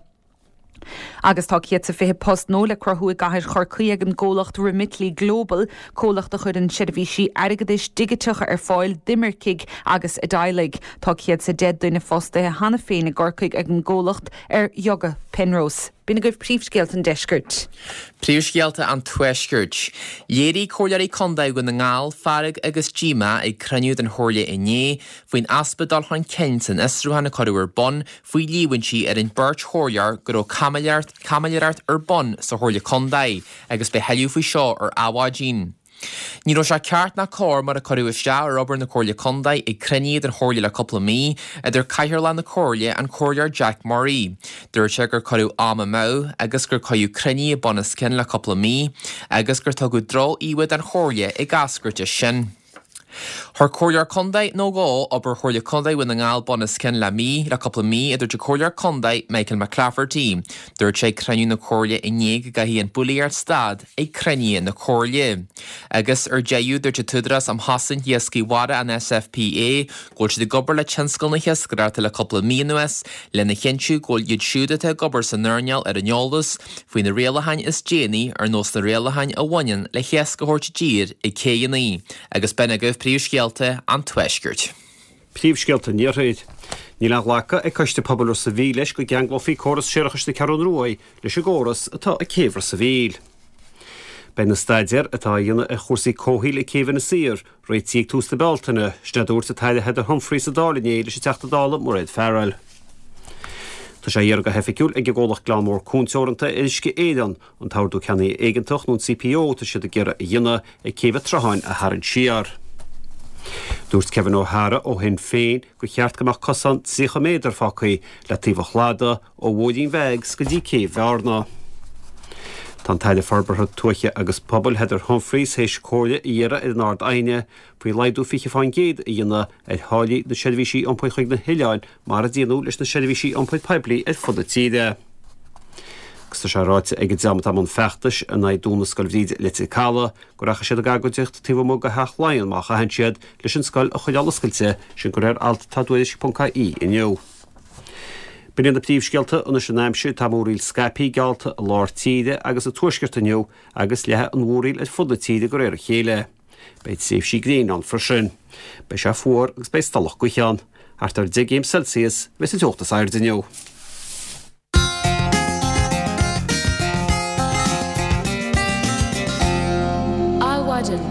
Agus tá 120 post nua le cruthú i gcathair Chorcaí ag an gcomhlacht Remitly Global, comhlacht a chuireann seirbhísí airgeadais digiteacha ar fáil d'imircigh agus a dteaghlaigh. Tá 110 duine fostaithe cheana féin i gCorcaigh ag an gcomhlacht ar Dhuga Penrose. B'in agaibh príomhscéalta an deiscirt. Príomhscéalta an Tuaiscirt. Léirigh Comhairleoirí Contae Dhún na nGall fearg agus díomá ag cruinniú den Chomhairle inné faoin easpa dul chun cinn san fhiosrúchán a cuireadh ar bun faoi líomhaintí ar an beirt chomhairleoir go raibh caimiléireacht ar bun sa Chomhairle Contae agus beidh tuilleadh faoi seo ar Adhmhaidin. Ní raibh sé ceart ná cóir mar a cuireadh isteach ar obair na Comhairle Contae ag cruinnithe den Chomhairle le cúpla mí, a dúirt Cathaoirleach na Comhairle, an Comhairleoir Jack Murray. Dúirt sé gur cuireadh am amú agus gur cuireadh cruinnithe bun os cionn le cúpla mí agus gur tugadh droch-íomha den Chomhairle ag eascairt as sin. Chuir Comhairleoir Contae nó dhó obair Chomhairle Contae Dhún na nGall bun os cionn le mí, le cúpla mí, a dúirt an Comhairleoir Contae Michael McClafferty. Dúirt sé ag cruinniú na Comhairle inné go gcaithfidh an bhulaíocht stad ag cruinnithe na Comhairle. Agus ar deireadh, dúirt an tÚdarás um Chosaint Iascaigh Mhara, an SFPA, go bhfuil siad ag obair le tionscal na hiascaireachta le cúpla mí anuas lena chinntiú go bhfuil iad siúd atá ag obair san earnáil ar an eolas faoi na rialacháin is déanaí ar nós na rialacháin a bhaineann le hiasc a thabhairt i dtír ag céidheanna. Agus b'in agaibh príomhscéalta an Tuaiscirt. Príomhscéalta an Iarthair. Níl á ghlacadh ag Coiste Pobail Ros a' Mhíl leis go gceanglófaí córas séarachais na Ceathrún Ruaidh leis an gcóras atá ag Céibh Ros a' Mhíl. Beidh na staidéir atá á dhéanamh ar chúrsaí comhshaoil ag Céibh Inis Oírr réitithe ag tús na Bealtaine, sin a dúirt an tAire Heather Humphreys sa Dáil inné leis an Teachta Dála Mairéad Farrell. Tá sé iarrtha go hoifigiúil ag an gcomhlacht Gleann Mór Cuan Teoranta ar Uisce Éireann an t-ordú ceannaithe éigeantach nó an CPO atá siad ag iarraidh a dhéanamh ag Céibh an tSrutháin a tharraingt siar. Dúirt Kevin O'Hara ó Shinn Féin gur cheart go mbeadh cosán 30 méadar fágtha le taobh an chladaigh ó Bhóithrín Mheigs go dtí Céibh Bhearna. Tá an tAire Forbartha Tuaithe agus Pobail Heather Humphreys théis comhairle a iarraidh ar an Ard-Aighne faoi laghdú 20% a dhéanamh ar tháillí na seirbhísí iompair chuig na hoileáin mar a déanadh leis na seirbhísí iompair poiblí ar fud na tíre. Agus tá sé ráite ag an dream atá i mbun feachtais in aghaidh dúnadh Scoil Bhríde i Leitir Caladh go rachaidh siad ag agóidíocht taobh amuigh de Theach Laighean má chaitheann siad leis an scoil a choinneáil oscailte, sin de réir alt atá i dTuairisc.ie inniu. B'in iad na príomhscéalta anois an aimsir. Tá múraíl scaipthe geallta i lár tíre agus sa tuaisceart inniu agus leathfaidh an mhúraíl ar fud na tíre de réir a chéile. Beidh tréimhsí gréine ann freisin. Beidh sé fuar agus beidh stolladh gaoithe ann. Thart ar 10 gcéim Celsius a bheas an teocht is airde inniu. Adhmhaidin.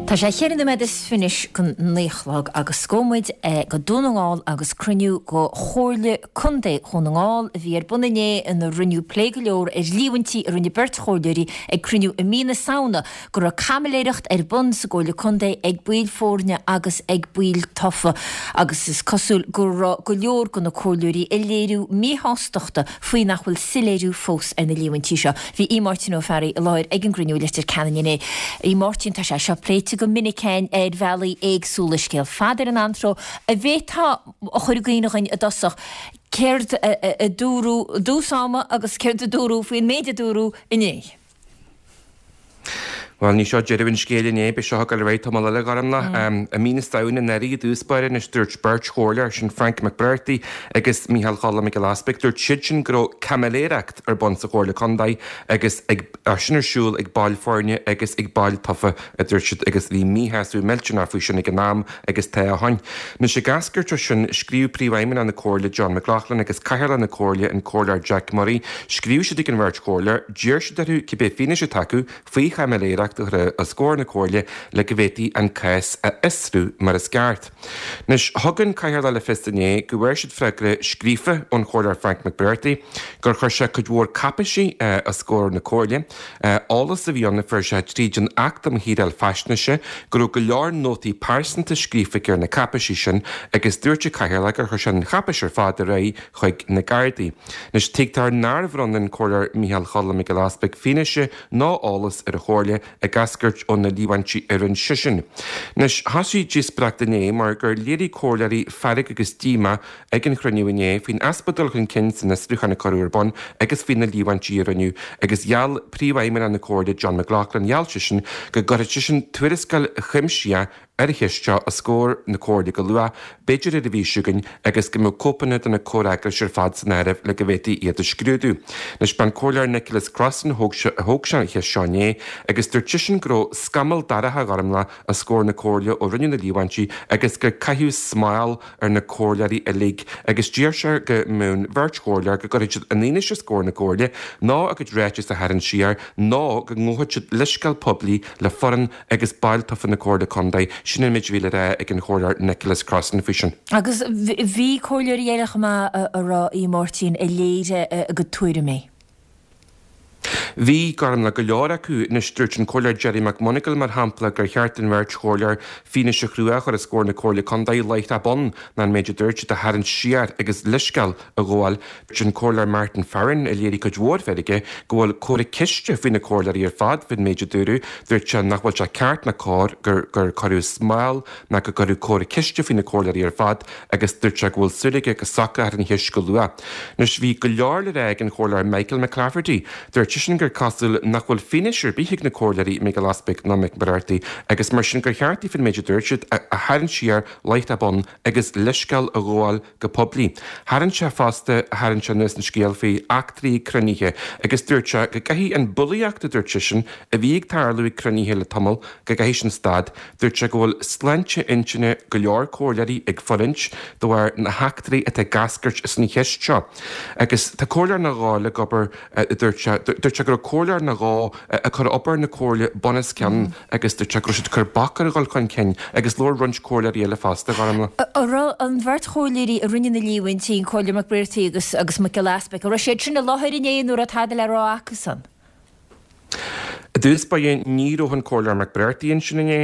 Tá sé cheithre nóiméad is fiche go naoi a chlog agus gabhfaidh muid go Dún na nGall agus cruinniú de Chomhairle Contae Dhún na nGall a bhí ar bun inné ina rinneadh plé go leor ar líomhaintí a rinne beirt chomhairleoirí ag cruinniú i mí na Samhna go raibh caimiléireacht ar bun sa gComhairle Contae ag baill foirne agus ag baill tofa agus is cosúil go raibh go leor de na comhairleoirí ag léiriú míshástachta faoi nach bhfuil soiléiriú fós ar na líomhaintí seo. Bhí Aodh Máirtín Ó Fearraigh i láthair ag an gcruinniú i Leitir Ceanainn inné. A Mháirtín, tá sé seo pléite go minic againn ar bhealaí éagsúla, scéal fada ar an antró. An bhféadfá a chur i gcuimhne dhuinn i dtosach céard a dúradh i dtús ama agus céard a dúradh faoin méid a dúradh inné? Bhuel, ní seo deireadh an scéil inné, beidh seo ag dul ar aghaidh tamall eile, a Ghormlaith. I mí na Samhna anuraidh i dtús báire anois, dúirt beirt chomhairleoir, sin Frank McBrearty agus Mícheál Choilm Mac Giolla Easpaig, dúirt siad sin go raibh caimiléireacht ar bun sa Chomhairle Contae agus ag sin ar siúl ag baill foirne agus ag baill tofa, a dúirt siad, agus bhí míshásamh millteanach faoi sin ag an am agus tá ó shin. Anois ag eascairt ó sin, scríobh Príomhfheidhmeannach na Comhairle John McLaughlin agus Cathaoirleach na Comhairle an Comhairleoir Jack Murray, scríobh siad ag an bheirt chomhairleoir, D'iarr siad orthu cibé fianaise atá acu faoi chaimiléireacht a chur os comhair na Comhairle le go bhféadfaí an cás a fhiosrú mar is ceart. Anois, thug an Cathaoirleach le fios inné go bhfuair siad freagra scríofa ón Chomhairleoir Frank McBrearty gur chuir sé cuid mhór cáipéisí os comhair na Comhairle, eolas a bhí ann a fuair sé tríd an Acht um Shaoráil Faisnéise, go raibh go leor nótaí pearsanta scríofa aige ar na cáipéisí sin agus dúirt an Cathaoirleach gur chuir sé an cháipéis ar fad ar aghaidh chuig na Gardaí. Anois, tuigtear nár bhronn an Comhairleoir Mícheál Choilm Mac Giolla Easpaig fianaise ná eolas ar an Chomhairle ag eascairt ó na líomhaintí a rinne seisean. Anois, thosaigh díospóireacht inné mar gur léirigh comhairleoirí fearg agus díomá ag an chruinniú inné faoin easpa dul chun cinn san fhiosrúchán a cuireadh ar bun agus faoi na líomhaintí a rinneadh agus gheall Príomhfheidhmeannach na Comhairle John McLaughlin, gheall seisean go gcuirfeadh seisean tuarascáil chuimsitheach ar an cheist seo os comhair na Comhairle go luath, b'fhéidir ar an mhí seo chugainn, agus go mbeadh cóipeanna de na comhfhreagrais ar fad san áireamh le go bhféadfaí iad a scrúdú. Anois, b'é an Comhairleoir Nicholas Crossan a thóg sé an cheist seo inné agus dúirt seisean go raibh scamall dorcha, a Ghormlaith, os comhair na Comhairle ó rinneadh na líomhaintí agus gur caitheadh smál ar na comhairleoirí uilig agus d'iarr sé go mbeadh an bheirt chomhairleoir go gcuirfeadh siad an fhianaise os comhair na Comhairle nó a gcuid ráiteas a tharraingt siar nó go ngabhfadh siad leithscéal poiblí le foireann agus baill tofa na Comhairle Contae, sin an méid a bhí le rá ag an Chomhairleoir Nicholas Crossan faoi sin. Agus bhí comhairleoirí eile chomh maith a raibh, a Mháirtín, a léirigh a gcuid tuairimí. Bhí, Gormlaith, go leor acu. Anois, dúirt an Comhairleoir Gerry McMonagall, mar shampla, gur cheart don bheirt chomhairleoir fianaise chrua a chur os comhair na Comhairle Contae láithreach bonn ná an méid a dúirt siad a tharraingt siar agus leithscéal a ghabháil. Dúirt an Comhairleoir Martin Farren, a léirigh cuid mhór feirge, go bhfuil comhartha ceiste faoi na comhairleoirí ar fad faoin méid a dúradh. Dúirt sé nach bhfuil sé ceart ná cóir gur gur cuireadh smál ná go gcuireadh comhartha ceiste faoi na comhairleoirí ar fad agus dúirt sé go bhfuil súil aige go socrófar an cheist go luath. Anois bhí go leor le rá ag an Chomhairleoir Michael McClafferty. Dúirt seisean gur cosúil nach bhfuil fianaise ar bith ag na comhairleoirí Mac Giolla Easpaig ná Mac Muircheartaigh agus mar sin gur cheart daofa an méid a dúirt siad a tharraingt siar láithreach bonn agus leithscéal a ghabháil go poiblí. Tharraing sé fosta, tharraing sé anuas an scéal faoi eachtraí ag cruinnithe agus dúirt sé go gcaithfidh an bulaíocht, a dúirt seisean, a bhí ag tarlú ag cruinnithe le tamall, go gcaithfidh sin stad. Dúirt sé go bhfuil sláinte intinne go leor comhairleoirí ag fulaingt de bharr na heachtraí atá ag eascairt as an cheist seo. Agus tá comhairleoir nó dhó le obair, a dúirt sé. Dúirt sé go raibh comhairleoir nó dhó ag cur obair na comhairle bunoscionn agus dúirt sé go raibh siad ag cur bac ar a dhul chun cinn agus labhair roinnt comhairleoirí eile fosta, Ghormlaith. An raibh an bheirt chomhairleoirí a rinne na líomhaintí, an Comhairleoir Mac Briartaigh agus agus Mac Giolla Easpaig, an raibh siad sin i láthair inné nó an raibh tada le rá acusan? I dtús báire ní raibh an Comhairleoir Mac Briartaigh ansin inné,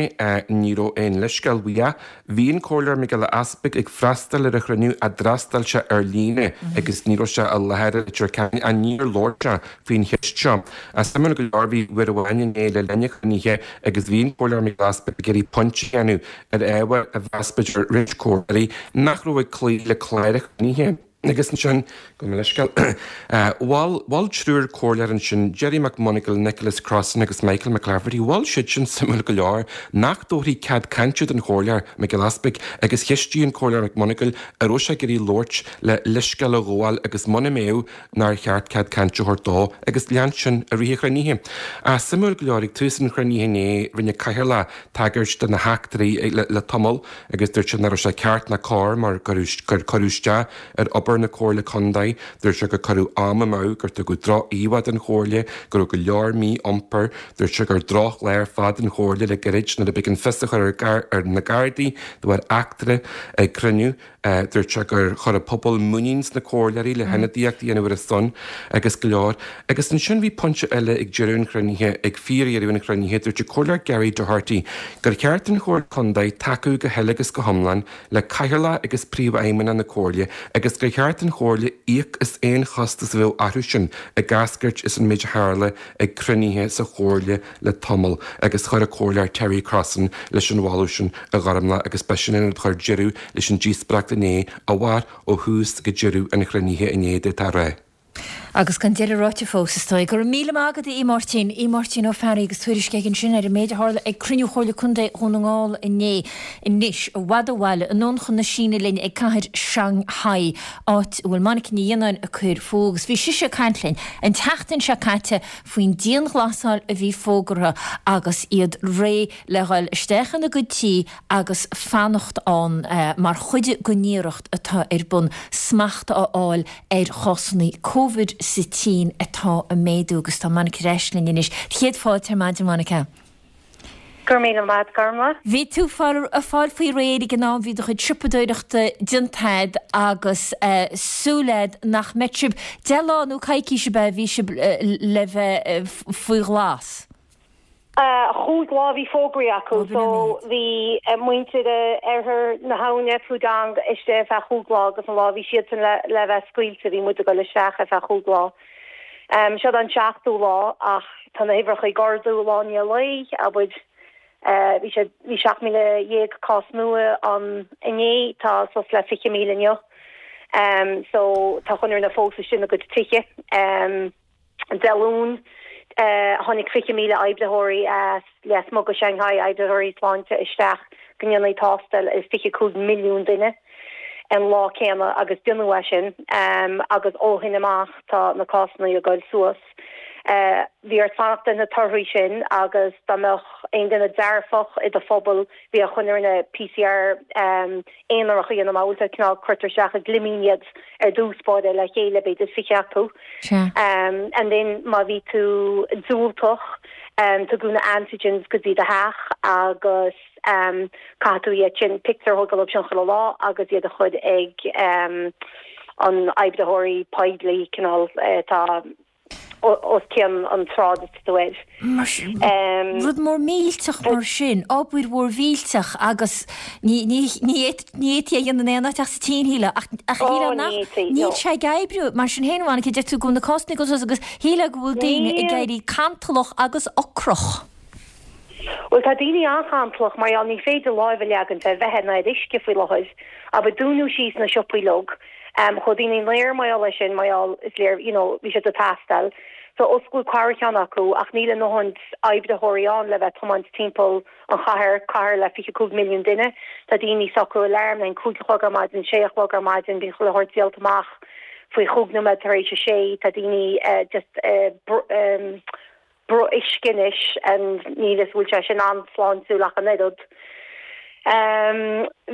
ní raibh aon leithscéal uaidh. Bhí an Comhairleoir Mac Giolla Easpaig ag freastal ar an chruinniú ach d'fhreastail sé ar líne agus ní raibh sé i láthair i Leitir Ceanainn ach níor labhair sé faoin cheist seo. Suimiúil go leor bhí uair amháin inné le linn an chruinnithe agus bhí an Comhairleoir Mac Giolla Easpaig ag iarraidh pointe a dhéanamh ar ábhar a mheas b'fhéidir roinnt comhairleoirí nach raibh ag cloí le clár an chruinnithe. Agus ansin, gabh mo leithscéal, mhol, mhol triúr comhairleoir ansin, Gerry McMonagall, Nicholas Crossan agus Michael McClafferty, mhol siad sin, suimiúil go leor, nach dtabharfaí cead cainte don chomhairleoir Mac Giolla Easpaig agus cheistigh an comhairleoir McMonagall an raibh sé ag iarraidh labhairt le leithscéal a ghabháil agus muna mbeadh, nár cheart cead cainte a thabhairt dó agus lean sin i rith an chruinnithe. Ach suimiúil go leor, ag tús an chruinnithe inné, rinne Cathaoirleach tagairt do na heachtraí le tamall, agus dúirt sé nach raibh sé ceart ná cóir mar gur cuireadh isteach ar obair na Comhairle Contae. Dúirt sé gur cuireadh am amú, gur tugadh droch-íomhá den Chomhairle, go raibh go leor mí-iompair. Dúirt sé gur drochlá ar fad don Chomhairle le gairid nuair a b'éigean fios a chur ar na Gardaí de bharr eachtra ag cruinniú. Dúirt sé gur chuir an pobal muinín sna comhairleoirí le hionadaíocht a dhéanamh ar a son agus go leor. Agus ansin bhí pointe eile ag deireadh an chruinnithe, ag fíordheireadh an chruinnithe, dúirt an Comhairleoir Gary Doherty gur cheart don Chomhairle Contae tacú go huile agus go hiomlán le Cathaoirleach agus Príomhfheidhmeannach na Comhairle agus gur cheart don Chomhairle íoc as aon chostas a bheadh orthu sin ag eascairt as an méid a tharla ag cruinnithe sa Chomhairle le tamall agus chuir an Comhairleoir Terry Crossan leis an mholadh sin a Ghormlaith agus b'shin an rud a chuir deireadh leis an díospóireacht inné a mhair ó thús go deireadh an chruinnithe inné d'fhéadfá a rá. Agus gan deireadh ráite fós, is dóigh. Go raibh míle maith agat, a Aodh Máirtín. Aodh Máirtín Ó Fearraigh agus tuairisc aige ansin ar an méid a tharla ag cruinniú Chomhairle Contae Dhún na nGall inné. Anois, i bhfad ó bhaile, anonn chun na Síne linn ag cathair Shanghai, áit a bhfuil Monica Ní Fhionnáin ag cur fúithi agus bhí sise ag caint linn an tseachtain seo caite faoin dianghlasáil a bhí fógartha agus iad réidh le dhul isteach ina gcuid tí agus fanacht ann mar chuid den iarracht atá ar bun smacht a fháil ar chásanna Covid sa tSín atá ag méadú agus tá Monica ar ais linn anois. Céad fáilte ar maidin Monica. Go raibh míle maith agat, Gormlaith. Bhí tú ag fáil faoi réir ag an am, bhí do chuid siopadóireachta déanta agat agus súil agat nach mbeadh sibh, 10 lá nó coicís ab ea a bhí sibh le bheith faoi ghlas? Chúig lá a bhí fógraithe acu, so bhí muintir oirthear na habhna, Pudong, istigh ar feadh chúig lá agus an lá a bhí siadsan le bheith scaoilte bhí muid ag dul isteach ar feadh chúig lá. Seo an seachtú lá ach tá na huimhreacha ag ardú lá i ndiaidh lae, abair. Bhí sé, bhí 17,000 cás nua ann inné, tá suas le 20,000 inniu. So tá chuile dhuine fós istigh ina gcuid tithe. Dé Luain tháinig 20,000 oibritheoirí as lasmuigh de Shanghai, oibritheoirí sláinte isteach go ndéanfaí tástáil ar 25 milliún duine. an lá céanna agus déanadh é sin agus ó shin amach tá na cásanna ag goil suas. Bhí ort fanacht ar na torthaí sin agus dá mbeadh aon duine dearfach i do phobal bhí ar chuile dhuine PCR aonarach a dhéanamh mar bhfuil cineál cuirtear isteach i gclimín iad ar dtús báire le chéile b'fhéidir 20 acu. And then má bhí tú diúltach tugadh na antigens go dtí do theach agus Caithfidh tú iad sin, pictiúr a thógáil dóibh sin chuile lá agus iad a chur ag an oibritheoirí poiblí, cineál atá. Os cionn an tsráid atá tú air. Mar sin, rud mór millteach mar sin, obair mhór mhillteach agus ní fhéadfaí é a dhéanamh in aon áit ach sa tSín, shílfeá, ach shílfeá nach, níl sé ag oibriú. Mar sin féin, a Mhonica, deir tú go bhfuil na cásanna ag dul suas agus shílfeá go bhfuil daoine ag éirí cantalach agus ocrach. Bhuel, tá daoine an-chantalach mar gheall ní féidir láimh a leagaint ar bheatha ná ar uisce faoi láthair. Abair, dúnadh síos na siopaí uilig. Chuaigh daoine in aer mar gheall air sin, mar gheall, is léir, you know, bhí siad ag teastáil. So osclaíodh ceathracha ceann acu ach níl a ndóthain oibritheoirí ann le bheith tiomáint timpeall an chathair, cathair le 25 milliún duine. Tá daoine ag socrú alarm le haghaidh 5 a chlog ar maidin, 6 a chlog ar maidin, bíonn chuile shórt díolta amach faoi chúig nóiméad tar éis a sé. Tá daoine just bruth uisce anois and níl 'fhios bhfuil sé sin an-sláintiúil ach an oiread.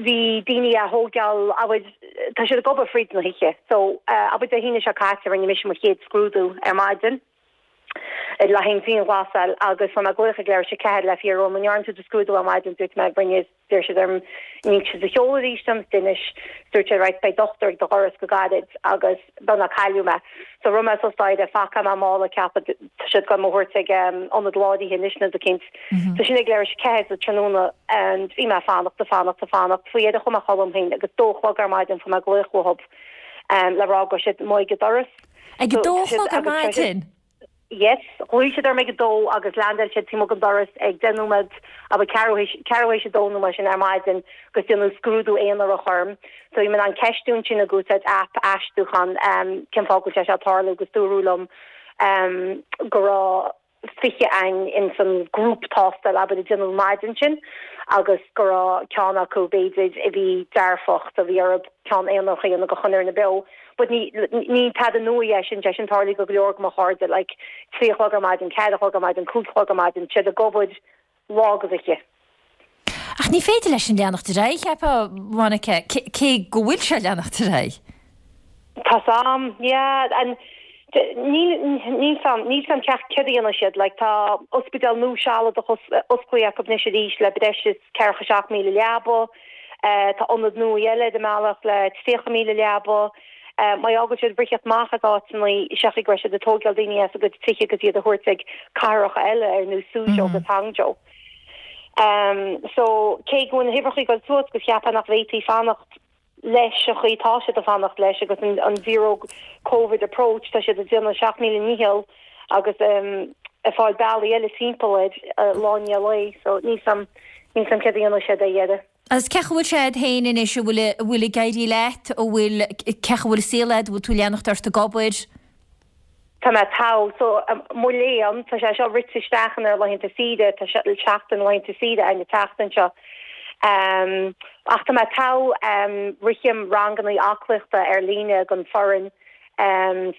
Bhí daoine á thógáil, abair, tá siad ag obair fríd na hoíche so abair Dé hAoine seo caite rinne mise mo chéad scrúdú ar maidin le haghaidh an dianghlasáil agus fuair mé glaoch ag leathuair tar éis a 4 le fiafraí orm an ndearna tú do scrúdú ar maidin dúirt mé rinne D'iarr siad orm an inseofá do sheoladh arís dom, d'inis. Dúirt siad right beidh dochtúir ag do dhoras go gairid agus beagnach cailleadh mé. So rith mé suas staighre, phacáil mé mála ceapadh tá siad ag goil mo thabhairt ag ionad láraithe anois nó rud eicínt. So sin ag leathuair tar éis a 4 sa tráthnóna and bhí mé ag fanacht, ag fanacht, ag fanacht. Faoi dheireadh chuaigh mé a chodladh dom féin agus dó a chlog ar maidin fuair mé glaoch uathub le rá go raibh siad amuigh ag an doras. Ag a dó a chlog ar maidin? Yes, ghlaoigh siad orm ag a dó agus leaindeáil siad taobh amuigh den doras ag 10 nóiméad, abair ceathrú théis, ceathrú théis a dó nó mar sin ar maidin agus déanadh scrúdú aonarach orm. So bhí mé in ann ceistiú ansin ag úsáid aip aistriúcháin cén fáth go bhfuil sé seo ag tarlú agus dúradh liom go raibh 20 againn ins an grúp tástáil abair a déanadh an maidin sin agus go raibh ceann acu b'fhéidir a bhí dearfach so bhí orthu ceann aonarach a dhéanamh go choinne ar na beo. But ní, ní tada nua é sin, sé sin tarlaithe go go leor go mo chairde, like, 3 a chlog ar maidin, 4 a chlog ar maidin, 5 a chlog ar maidin, siad ag obair lá agus oíche. Ach ní féidir leis sin leanacht ar aghaidh, cheapfá, Monica, cé go bhfuil sé ag leanacht ar aghaidh. Tá's a'm, yeah, and níl, níl 's a'm, níl 's a'm ceart céard a dhéanfaidh siad, like, tá ospidéal nua sealadach osclaithe acu anois arís le breis is 47,000 leaba, Tá ionad nua eile ar an mbealach le 30,000 leaba. Mar gheall go bhfuil siad ag briseadh amach as áiteanna, seachas go raibh siad ag tóigeáil daoine as a gcuid tithe agus iad a thabhairt ag cathracha eile ar nós Suzhou agus Hangzhou. So, cé go bhfuil na huimhreacha ag dul suas agus cheapfá nach bhféadfaí fanacht leis an chaoi atá siad ag fanacht leis agus an zero covid approach, tá siad ag déanamh a 7000 ndícheall agus ag fáil bealaí eile timpeall air lá i ndiaidh lae so níl 's a'm níl 's a'm céard a dhéanfaidh siad ar dheireadh. Agus cén chaoi a bhfuil sé a'd féin anois, an bhfuil an bhfuil ag éirí leat, an bhfuil cén chaoi a bhfuil an saol a'd, an bhfuil tú ag leanacht ort ag obair? Tá mé togha, so mo léan, tá sé seo rite isteach inár laethanta saoire, tá seachtain laethanta saoire againn an tseachtain seo. Ach tá mé togha, rithim ranganna aclaíochta ar líne don foireann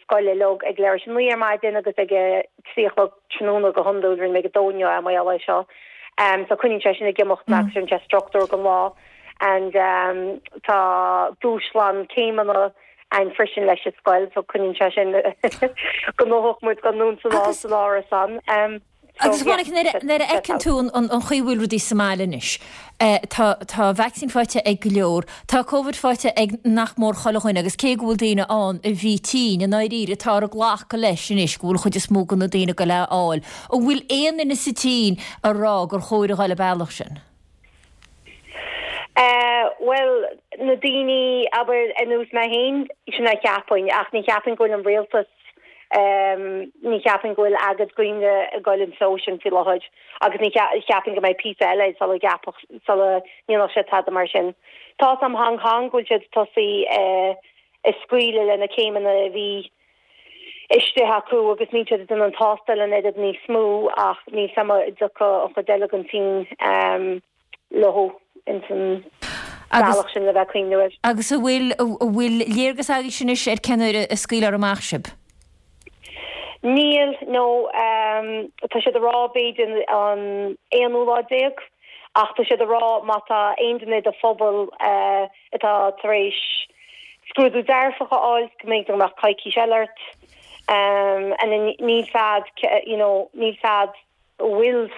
scoile uilig ag leathuair tar éis a 9 ar maidin agus ag a 3 a chlog tráthnóna go hiondúil, rinne mé ag a 2 inniu é mar gheall air seo. So coinníonn sé sin ag imeacht mé agus cuireann sé struchtúr don lá and tá dúshlán céimeanna againn freisin leis an scoil so coinníonn sé sin gnóthach muid go anonn 's anall san árasán. Agus Monica, nuair a fheiceann tú an chaoi a bhfuil rudaí sa mbaile anois, tá tá vacsaín faighte ag go leor, tá Covid faighte ag nach mór chuile dhuine agus cé go bhfuil daoine ann a bhí tinn, i ndáiríre, táthar ag glacadh leis anois go bhfuil an chuid is mó de na daoine ag goil é a fháil. An bhfuil aon duine sa tSín ag rá gur chóir a dhul an bealach sin? Bhuel, na daoine, abair, ar nós mé féin, sin a cheapfainn, ach ní cheapfainn go bhfuil an rialtas, ní cheapfainn go bhfuil agad dhaoine ag goil an treo sin faoi láthair agus ní cheapfainn go mbeidh píosa eile sula gceapfadh, sula ndéanfadh siad tada mar sin. Tá 's a'm Hong Kong go bhfuil siad ag tosaí ag scaoileadh le na céimeanna a bhí istigh acu agus níl siad ag déanamh an tástáil an oiread níos mó ach níl 's a'm an dtiocfaidh an chuid eile den tSín leo ins an bealach sin le bheith ag cuimhneamh air. Agus an bhfuil, an bhfuil léargas agaibhse anois ar cén uair a scaoilfear amach sibh? Níl, no, tá siad ag rá b'fhéidir an aonú lá déag ach tá siad ag rá má tá aon duine i do phobal atá tar éis scrúdú dearfach a fháil go mbeidh go mbeadh coicís eile ort and then níl 's a'd you know níl 's a'd an bhfuil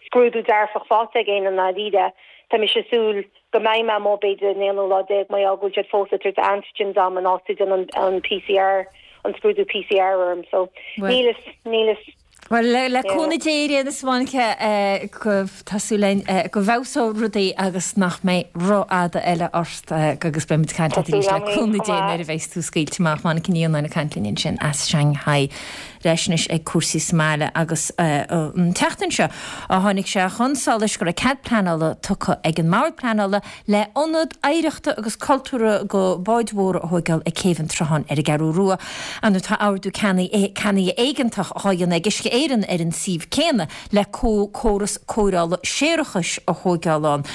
scrúdú dearfach faighte ag éinne i ndáiríre. Tá mise ag súil go mbeidh mé amuigh b'fhéidir an aonú lá déag mar gheall go bhfuil siad fós ag tabhairt antigens dom in áit ag déanamh an PCR. an scrúdú PCR orm so níl fhios, níl fhios. Bhuel, le cúnamh Dé ar aon nós a Mhonica, tá súil againn go bhfeabhsóidh rudaí agus nach mbeidh rófhada eile ort agus beidh muid ag caint leat arís le cúnamh Dé nuair a bheas tú scaoilte amach. Monica Ní Fhionnáin ag caint linn ansin as Shanghai. Ar ais anois ag cúrsaí sa mbaile agus an tseachtain seo a tháinig sé chun solais go raibh cead pleanála tugtha ag an mBord Pleanála le ionad oidhreachta agus cultúrtha do bháid mhóra a thóigeáil ag Céibh an tSrutháin ar an gCeathrú Rua. Anois tá ardú ceannaigh éigeantach á dhéanamh ag Uisce Éireann ar an suíomh céanna le córas cóireála séarachais a thóigeáil ann.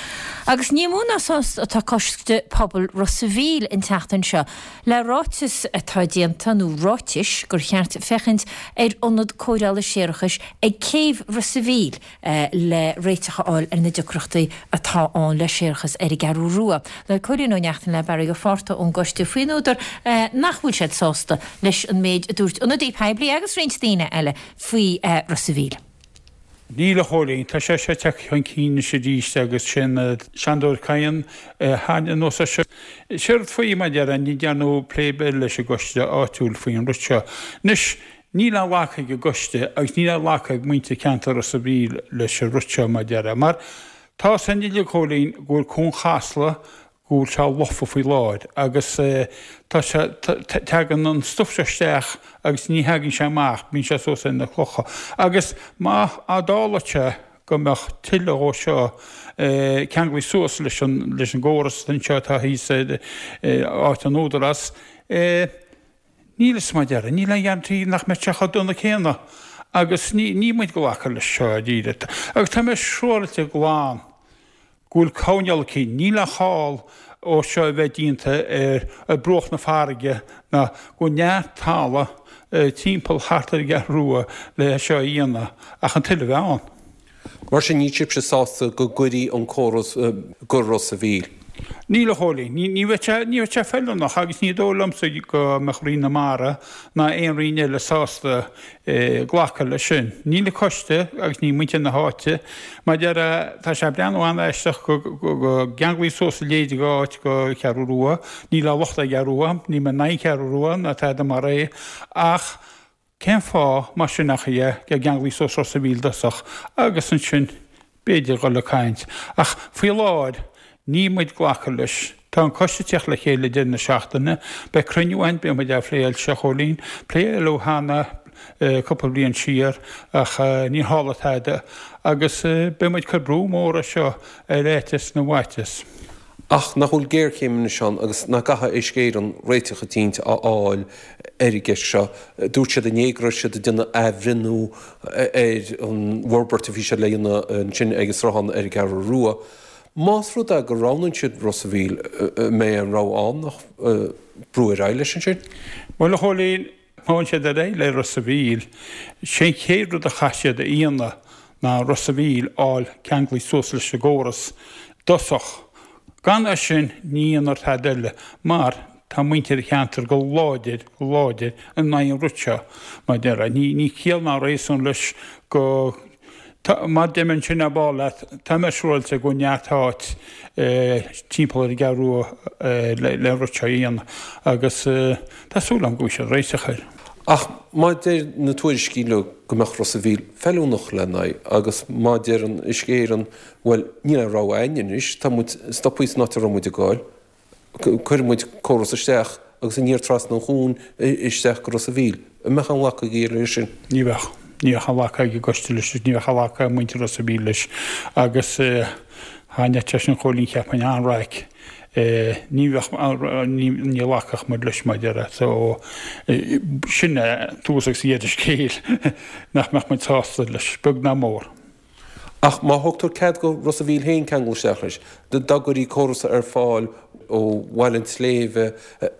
Agus ní mó ná sásta atá Coiste Pobail Ros a' Mhíl an tseachtain seo le ráiteas atá déanta, nó ráitis, gur cheart féachaint ar ionad cóireála séarachais ag Céibh Ros a' Mhíl. le réiteach a fháil ar na deacrachtaí atá ann le séarachas ar an gCeathrú Rua. Labhair Cóilín Ó Neachtain le Barry Ó Fátharta ón gcoiste faoin údar nach bhfuil siad sásta leis an méid a dúirt ionadaí poiblí agus roinnt daoine eile faoi Ros a' Mhíl. Níl a Chóilín, tá sé seo tagtha chun cinn anois arís agus sin Seandóir Cadhain a tháinig anuas air seo. Séard faoi, mar a déarfá, ní dhearnadh plé ar bith leis an gcoiste áitiúil faoin rud seo. Anois, Níl aon ghlacadh ag an gcoiste agus níl aon ghlacadh ag muintir ceantar Ros a' Mhíl leis an rud seo, mar a déarfá. Mar tá 'fhios againn uilig, a Chóilín, go bhfuil Cuan Chasla, go bhfuil sé lofa faoi láthair agus tá sé, tagann an stuif seo isteach agus ní thagann sé amach, bíonn sé suas ar na clocha. Agus má tharla sé go mbeadh tuilleadh dhó seo ceanglaithe suas leis an, leis an gcóras anseo atá thíos ar áit an Údarás, Níl 'fhios mar a déarfá, níl aon ghearantí nach mbeidh sé chomh dona céanna agus ní, níl muid ag glacadh leis seo dáiríre. Agus tá mé siúráilte glan go bhfuil coinneáil aici, níl aon chall ó seo a bheith déanta ar, ar bruach na farraige ná go bhfuil neart talamh timpeall thart ar an gCeathrú Rua le seo a dhéanamh ach an toil a bheith ann. Mar sin, níl sibhse sásta go gcuirí an córas go Ros a' Mhíl? Níl, a Chóilín. Ní bheadh sé, ní bheadh sé feiliúnach agus ní dóigh liomsa go mbeadh Roinn na Mara ná aon roinn eile sásta glacadh leis sin. Níl an coiste agus níl muintir na háite. Mar a déarfá, tá sé ag breathnú an-aisteach go gceanglaí suas a leithéid de áit go Ceathrú Rua. Níl aon locht ar an gCeathrú Rua, níl mé in aghaidh an Cheathrú Rua ná tada mar é ach Cén fáth, mar sin, nach é go gceanglaí suas Ros a' Mhíl i dtosach agus ansin b'fhéidir dhul ag caint. Ach faoi láthair, níl muid ag glacadh leis. Tá an coiste ag teacht le chéile deireadh na seachtaine. Beidh cruinniú againn, beidh muid á phléáil seo, a Chóilín. Pléadh cheana cúpla bliain siar ach níor tharla tada. Agus beidh muid ag cur brú mór air seo ar fhaitíos na bhfaitíos. Ach nach bhfuil géarchéim anois ann agus nach gcaithfidh Uisce Éireann réiteach eicínt a fháil ar an gceist seo? Dúirt siad inné go raibh siad ag déanamh athbhreithniú ar an bhforbairt a bhí siad le dhéanamh ansin ag an sruthán ar an gCeathrú Rua. Más rud é go roghnaíonn siad Ros a' Mhíl, an mbeidh aon rogha ann ach brú ar aghaidh leis ansin? Bhuel, a Chóilín, Má théann siad ar aghaidh le Ros a' Mhíl, sé an chéad rud a chaithfidh siad a dhéanamh ná Ros a' Mhíl fháil ceanglaithe suas leis an gcóras i dtosach. Gan é sin ní dhéanfar tada eile mar tá muintir an cheantair go láidir, go láidir in aghaidh an rud seo. Mar a déarfá, ní ciall ná réasún leis go Tá, mar deir mé ansin ar ball leat, tá mé siúráilte go bhfuil neart áit timpeall ar an gCeathrú Rua le an rud seo a dhéanamh agus tá súil agam go bhfaighidh siad réiteach air. Ach má deir na tuairiscí leo go mbeadh Ros a' Mhíl feiliúnach lena aghaidh agus má deireann Uisce Éireann bhuel níl aon rogha againn anois, tá muid stoptha san áit a raibh muid ag goil, Cuirfidh muid córas isteach agus aniar trasna an chuain isteach go Ros a' Mhíl. An mbeadh aon ghlacadh agaibh leis sin? Ní bheadh. Ní bheadh aon ghlacadh ag an gcoiste leis agus ní bheadh aon ghlacadh ag muintir Ros a' Mhíl leis. Agus thaitneodh sé sin Chóilín cheapfainn an-raic. Ní bheadh, ní ghlacfadh muid leis mar a déarfá. So, sin é tús agus deireadh an scéil nach mbeadh muid sásta leis, beag ná mór. Ach má thugtar cead go Ros a' Mhíl féin ceangal isteach leis, dá gcuirí córas ar fáil ó Bhaile an tSléibhe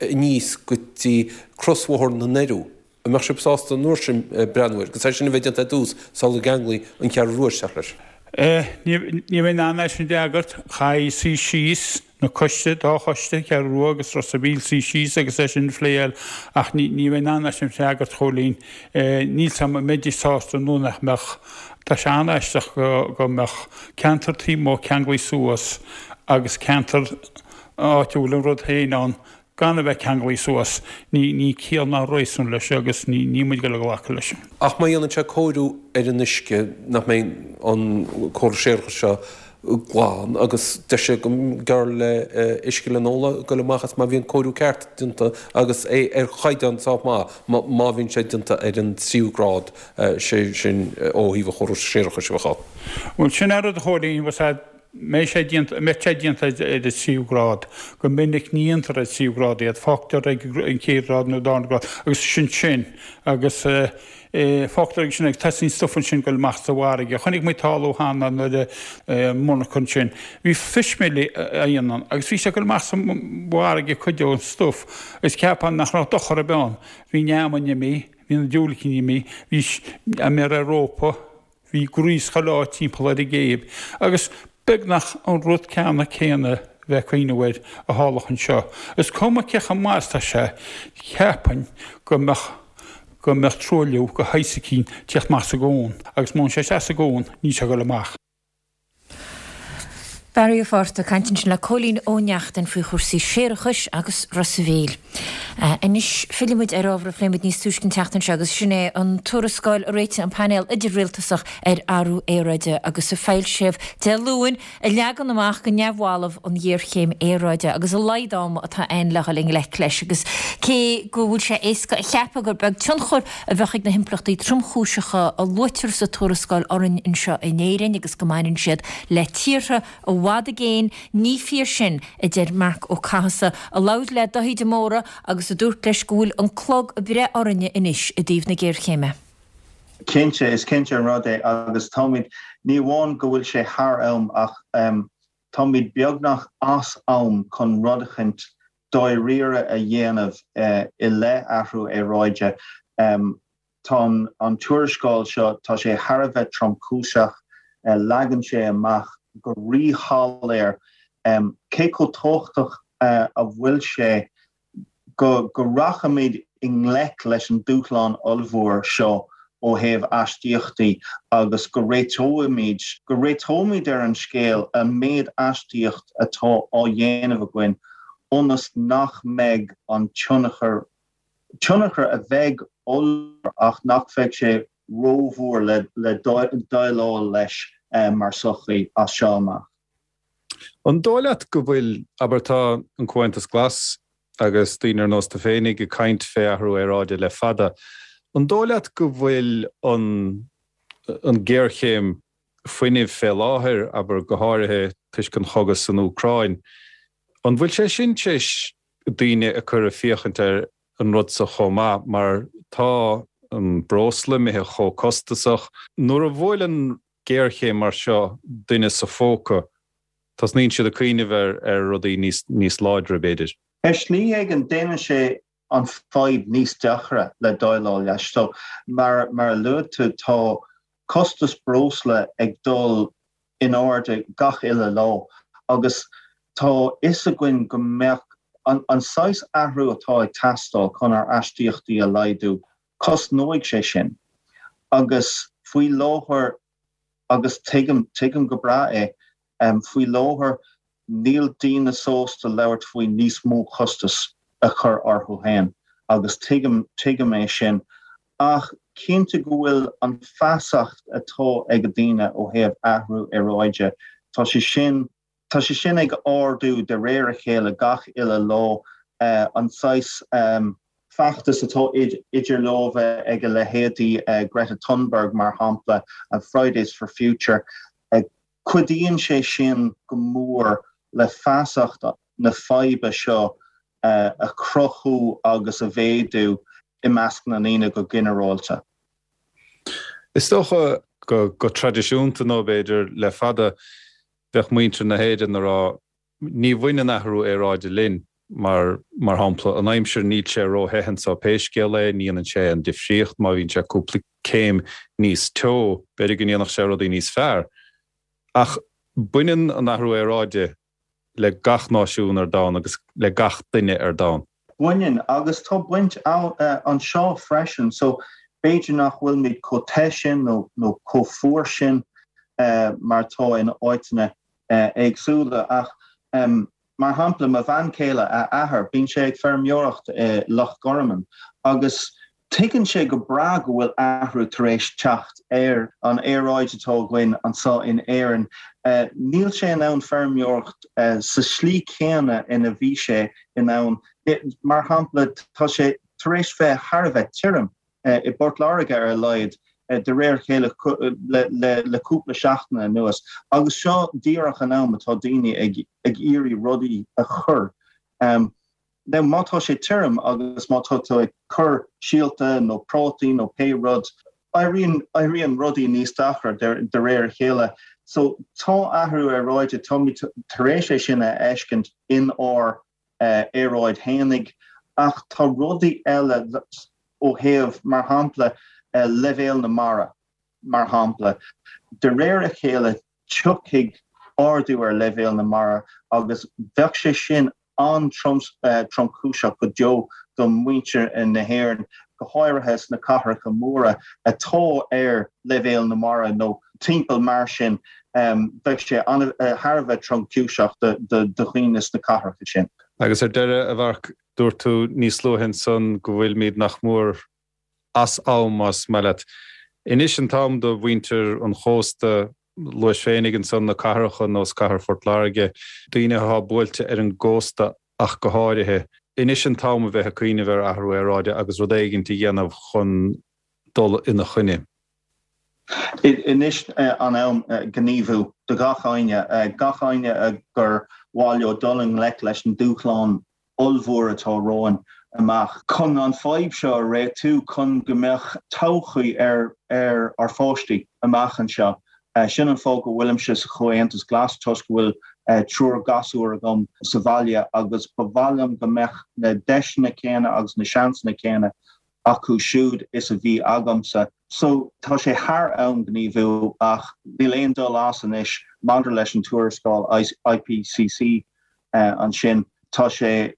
aníos go dtí crosbhóthar na nDoiriú, an mbeadh sibh sásta an uair sin breathnú air, agus é sin a bheith déanta ar dtús sula gceanglaí an Cheathrú Rua isteach leis? Ní bheinn in ann é sin a fhreagairt. Chaithfí suí síos na coiste, dá choiste, Ceathrú Rua agus Ros a' Mhíl, suí síos agus é sin a phléáil ach ní bheinn in ann é sin a fhreagairt, Chóilín. Níl 's a'm an mbeidís sásta nó nach mbeadh. Tá sé an-aisteach go mbeadh ceantar taobh amuigh ceanglaithe suas agus ceantar áit a bhfuil an rud féin ann. Gan a bheith ceanglaithe suas, ní ciall ná réasún leis agus níl muid ag dul a ghlacadh leis. Ach má dhéanann sé cóiriú ar an uisce, nach mbeidh an córas séarachais seo glan agus deir sé go mb'fhearr le uisce le n-ól a ghoil amach as má bhíonn cóiriú ceart déanta agus é ar chaighdeán sách maith má bhíonn sé déanta ar an tríú grád, sé sin ó thaobh an chórais séarachais a bheadh ann. Bhuel, sin é rud a Chóilín, bhfuil 's a'd, mbeidh sé déanta, mbeidh sé déanta ar an tríú grád. Go minic ní dhéantar ar an tríú grád iad, fágtar ag an chéad ghrád nó darna grád agus sin sin agus fágtar ag sin agus tosaíonn stuif ansin goil amach sa bhfarraige. Chonaic muid tarlú cheana nuair a monarcha ansin. Bhí fish meal á dhéanamh ann agus bhí sé ag goil amach sa bhfarraige cuid den stuif agus cheapfá nach raibh dochar ar bith ann. Bhí an fheamainn imithe, bhí na diúilicíní imithe, bhí an rópa, Bhí gríos chuile áit timpeall ar an gcéibh agus beagnach an rud ceanna céanna a bheith ag cuimhneamh air a tharlódh anseo. Is cuma cé chomh maith is atá sé, cheapfainn go mbeadh go mbeadh truailliú de shaghas eicínt ag tíocht amach sa gcuan agus má théann sé isteach sa gcuan níl sé ag dul amach. Barry Ó Fátharta ag caint ansin le Cóilín Ó Neachtain faoi chúrsaí séarachais agus Ros a' Mhíl. Anois fillfidh muid ar ábhar a phléigh muid níos túisce an tseachtain seo agus sin é an tuarascáil a réitigh an Painéal Idir-Rialtasach ar Athrú Aeráide agus a foilsíodh Dé Luain a leagann amach go neamhbhalbh an ghéarchéim aeráide agus a laghad ama atá ann le dhul i ngleic leis agus cé go bhfuil sé éasca a cheapadh gur beag tionchar a bheadh ag na himpleachtaí tromchúiseacha a luaitear sa tuarascáil orainn anseo in Éirinn agus go mbaineann siad le tíortha i bhfad i gcéin, ní fíor sin, a deir Marc Ó Cathasaigh, a labhair le Daithí de Mórdha agus a dúirt leis go bhfuil an clog ag breith orainne anois i dtaobh na géarchéime. Cinnte, is cinnte an rud é agus táimid, ní amháin go bhfuil sé thar am ach táimid beagnach as am chun rud eicínt dáiríre a dhéanamh i leith athrú aeráide. Tá an tuarascáil seo, tá sé thar a bheith tromchúiseach, leagann sé amach go ríshoiléir cé chomh tábhachtach a bhfuil sé go rachaimid i ngleic leis an dúshlán ollmhór seo ó thaobh aistíochtaí agus go réiteoimid, go réiteoimid ar an scéal an méid aistíocht atá á dhéanamh againn ionas nach mbeidh an tionchar, tionchar a bheidh ollmhór ach nach mbeidh sé rómhór le déileáil leis mar sochaí as seo amach. An dóigh leat go bhfuil, abair tá an Comhaontas Glas agus daoine ar nós tú féinig ag caint fé athrú aeráide le fada, an dóigh leat go bhfuil an an géarchéim fuinnimh fé láthair, abair go háirithe toisc an chogadh san Úcráin, an bhfuil sé sin tar éis daoine a cur ag féachaint ar an rud so chomh maith mar tá an breosla imithe chomh costasach. Nuair a bhuaileann géarchéim mar seo duine sa phóca, tosnaíonn siad ag cuimhneamh ar ar rudaí níos níos láidre, b'fhéidir. Ar shlí éigin, déanann sé an fadhb níos deacra le déileáil leis. So, mar mar a luaigh tú, tá costas breosla ag dul in airde gach uile lá agus tá fhios againn go mbeadh an an saghas athrú atá ag teastáil chun ár aistíochtaí a laghdú, Cosnóidh sé sin. Agus faoi láthair, agus tuigim, tuigim go breá é, faoi láthair níl daoine sásta labhairt faoi níos mó costas a chur orthu féin agus tuigim, tuigim é sin. Ach cinnte go bhfuil an feasacht atá ag daoine ó thaobh athrú aeráide, tá sé sin, Tá sé sin ag ardú de réir a chéile gach uile lá. An saghas feachtas atá idir lámha ag a leithéidí Greta Thunberg, mar shampla, and Fridays for Future, cuidíonn sé sin go mór le feasacht na faidhbe seo a chruthú agus a mhéadú i measc na ndaoine go ginearálta. Is dócha go traidisiúnta nó b'fhéidir le fada, Bheadh muintir na hÉireann ag rá, ní bhaineann athrú aeráide linn, mar, mar shampla, an aimsir, níl sé ró-the anseo pé scéal é, ní dhéanann sé aon difríocht má bhíonn sé cúpla céim níos teo, b'fhéidir go ndéanfadh sé rudaí níos fearr. Ach baineann an athrú aeráide le gach náisiún ar domhan agus le gach duine ar domhan. Baineann, agus tá baint anseo freisin, so b'fhéidir nach bhfuilimid chomh te sin nó nó chomh fuar sin mar atá in áiteanna éagsúla ach. Mar shampla, mo bhean chéile, a athair, bíonn sé ag feirmeoireacht i Loch Garman agus tuigeann sé go breá go bhfuil athrú tar éis teacht ar an aeráid atá againn anseo in Éirinn. Níl sé in ann feirmeoireacht sa slí chéanna ina bhí sé in ann. Mar shampla, tá sé tar éis bheith thar a bheith tirim. i bPort Láirge ar a laghad, de réir a chéile le cúpla seachtain anuas, agus seo díreach an am atá daoine ag iarraidh rudaí a chur. Now má tá sé tirim agus má tá tú ag cur síolta nó prátaí nó pé rud, éiríonn éiríonn rudaí níos deacra de réir a chéile. So tá athrú aeráide, táimid tar éis é sin a fheiscint in ár aeráid fhéinig, ach tá rudaí eile ó thaobh, mar shampla, leibhéal na mara, mar shampla. De réir a chéile tiocfaidh ardú ar leibhéal na mara agus bheadh sé sin an-tromchúiseach go deo do mhuintir na hÉireann, go háirithe sna cathracha móra atá ar leibhéal na mara nó timpeall mar sin. Bheadh sé thar a bheith tromchúiseach do dhaoine sna cathracha sin. Agus ar deireadh, a Mharc, dúirt tú níos luaithe ansan go bhfuilimid nach mór as am, más maith leat. Anois an t-am do mhuintir an chósta, luais féinig ansan na cathracha nós cathair Phort Láirge, daoine athá buailte ar an gcósta ach go háirithe. Anois an t-am a bheith ag cuimhneamh ar athrú aeráide agus rud éigint a dhéanamh chun dul ina choinne. Anois an am gníomhú do gach éinne, gach éinne gur mhaith leo dul i ngleic leis an dúshlán ollmhór atá romhainn amach. Chun an fadhb seo a réitiú, chun go mbeadh todhchaí ar ár bpáistí amach anseo. Sin an fáth go bhfuilimse sa Chomhaontas Glas, toisc go bhfuil triúr gasúr agam sa bhaile agus ba mhaith liom go mbeadh na deiseanna céanna agus na seansanna céanna acu siúd is a bhí agamsa. So, tá sé thar am gníomhú ach níl aon dul as anois maidir leis an tuarascáil IPCC ansin. Tá sé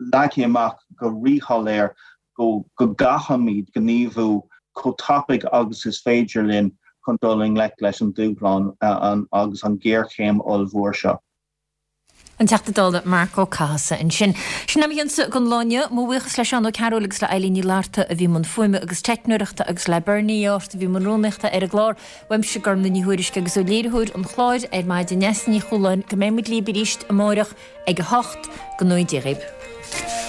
leagtha amach go ríshoiléir go gcaithfimid gníomhú chomh tapaidh agus is féidir linn chun dul i ngleic leis an dúshlán agus an ghéarchéim ollmhór seo. An Teachta Dála Marc Ó Cathasaigh ansin. Sin é mo chionsa don lá inniu. Mo bhuíochas le Seán Ó Cearúil agus le Eilín Ní Fhlatharta a bhí i mbun fuaime agus teicneoireachta agus le Bernie Art a bhí i mbun rúnaíochta ar an gclár. Uaimse Gormlaith Ní Thuairisg agus ó léiritheoir an chláir ar maidin Neasa Ní Chualáin go mbeidh muid libh arís amáireach ag 8. Go ngnóthaí Dia dhaoibh.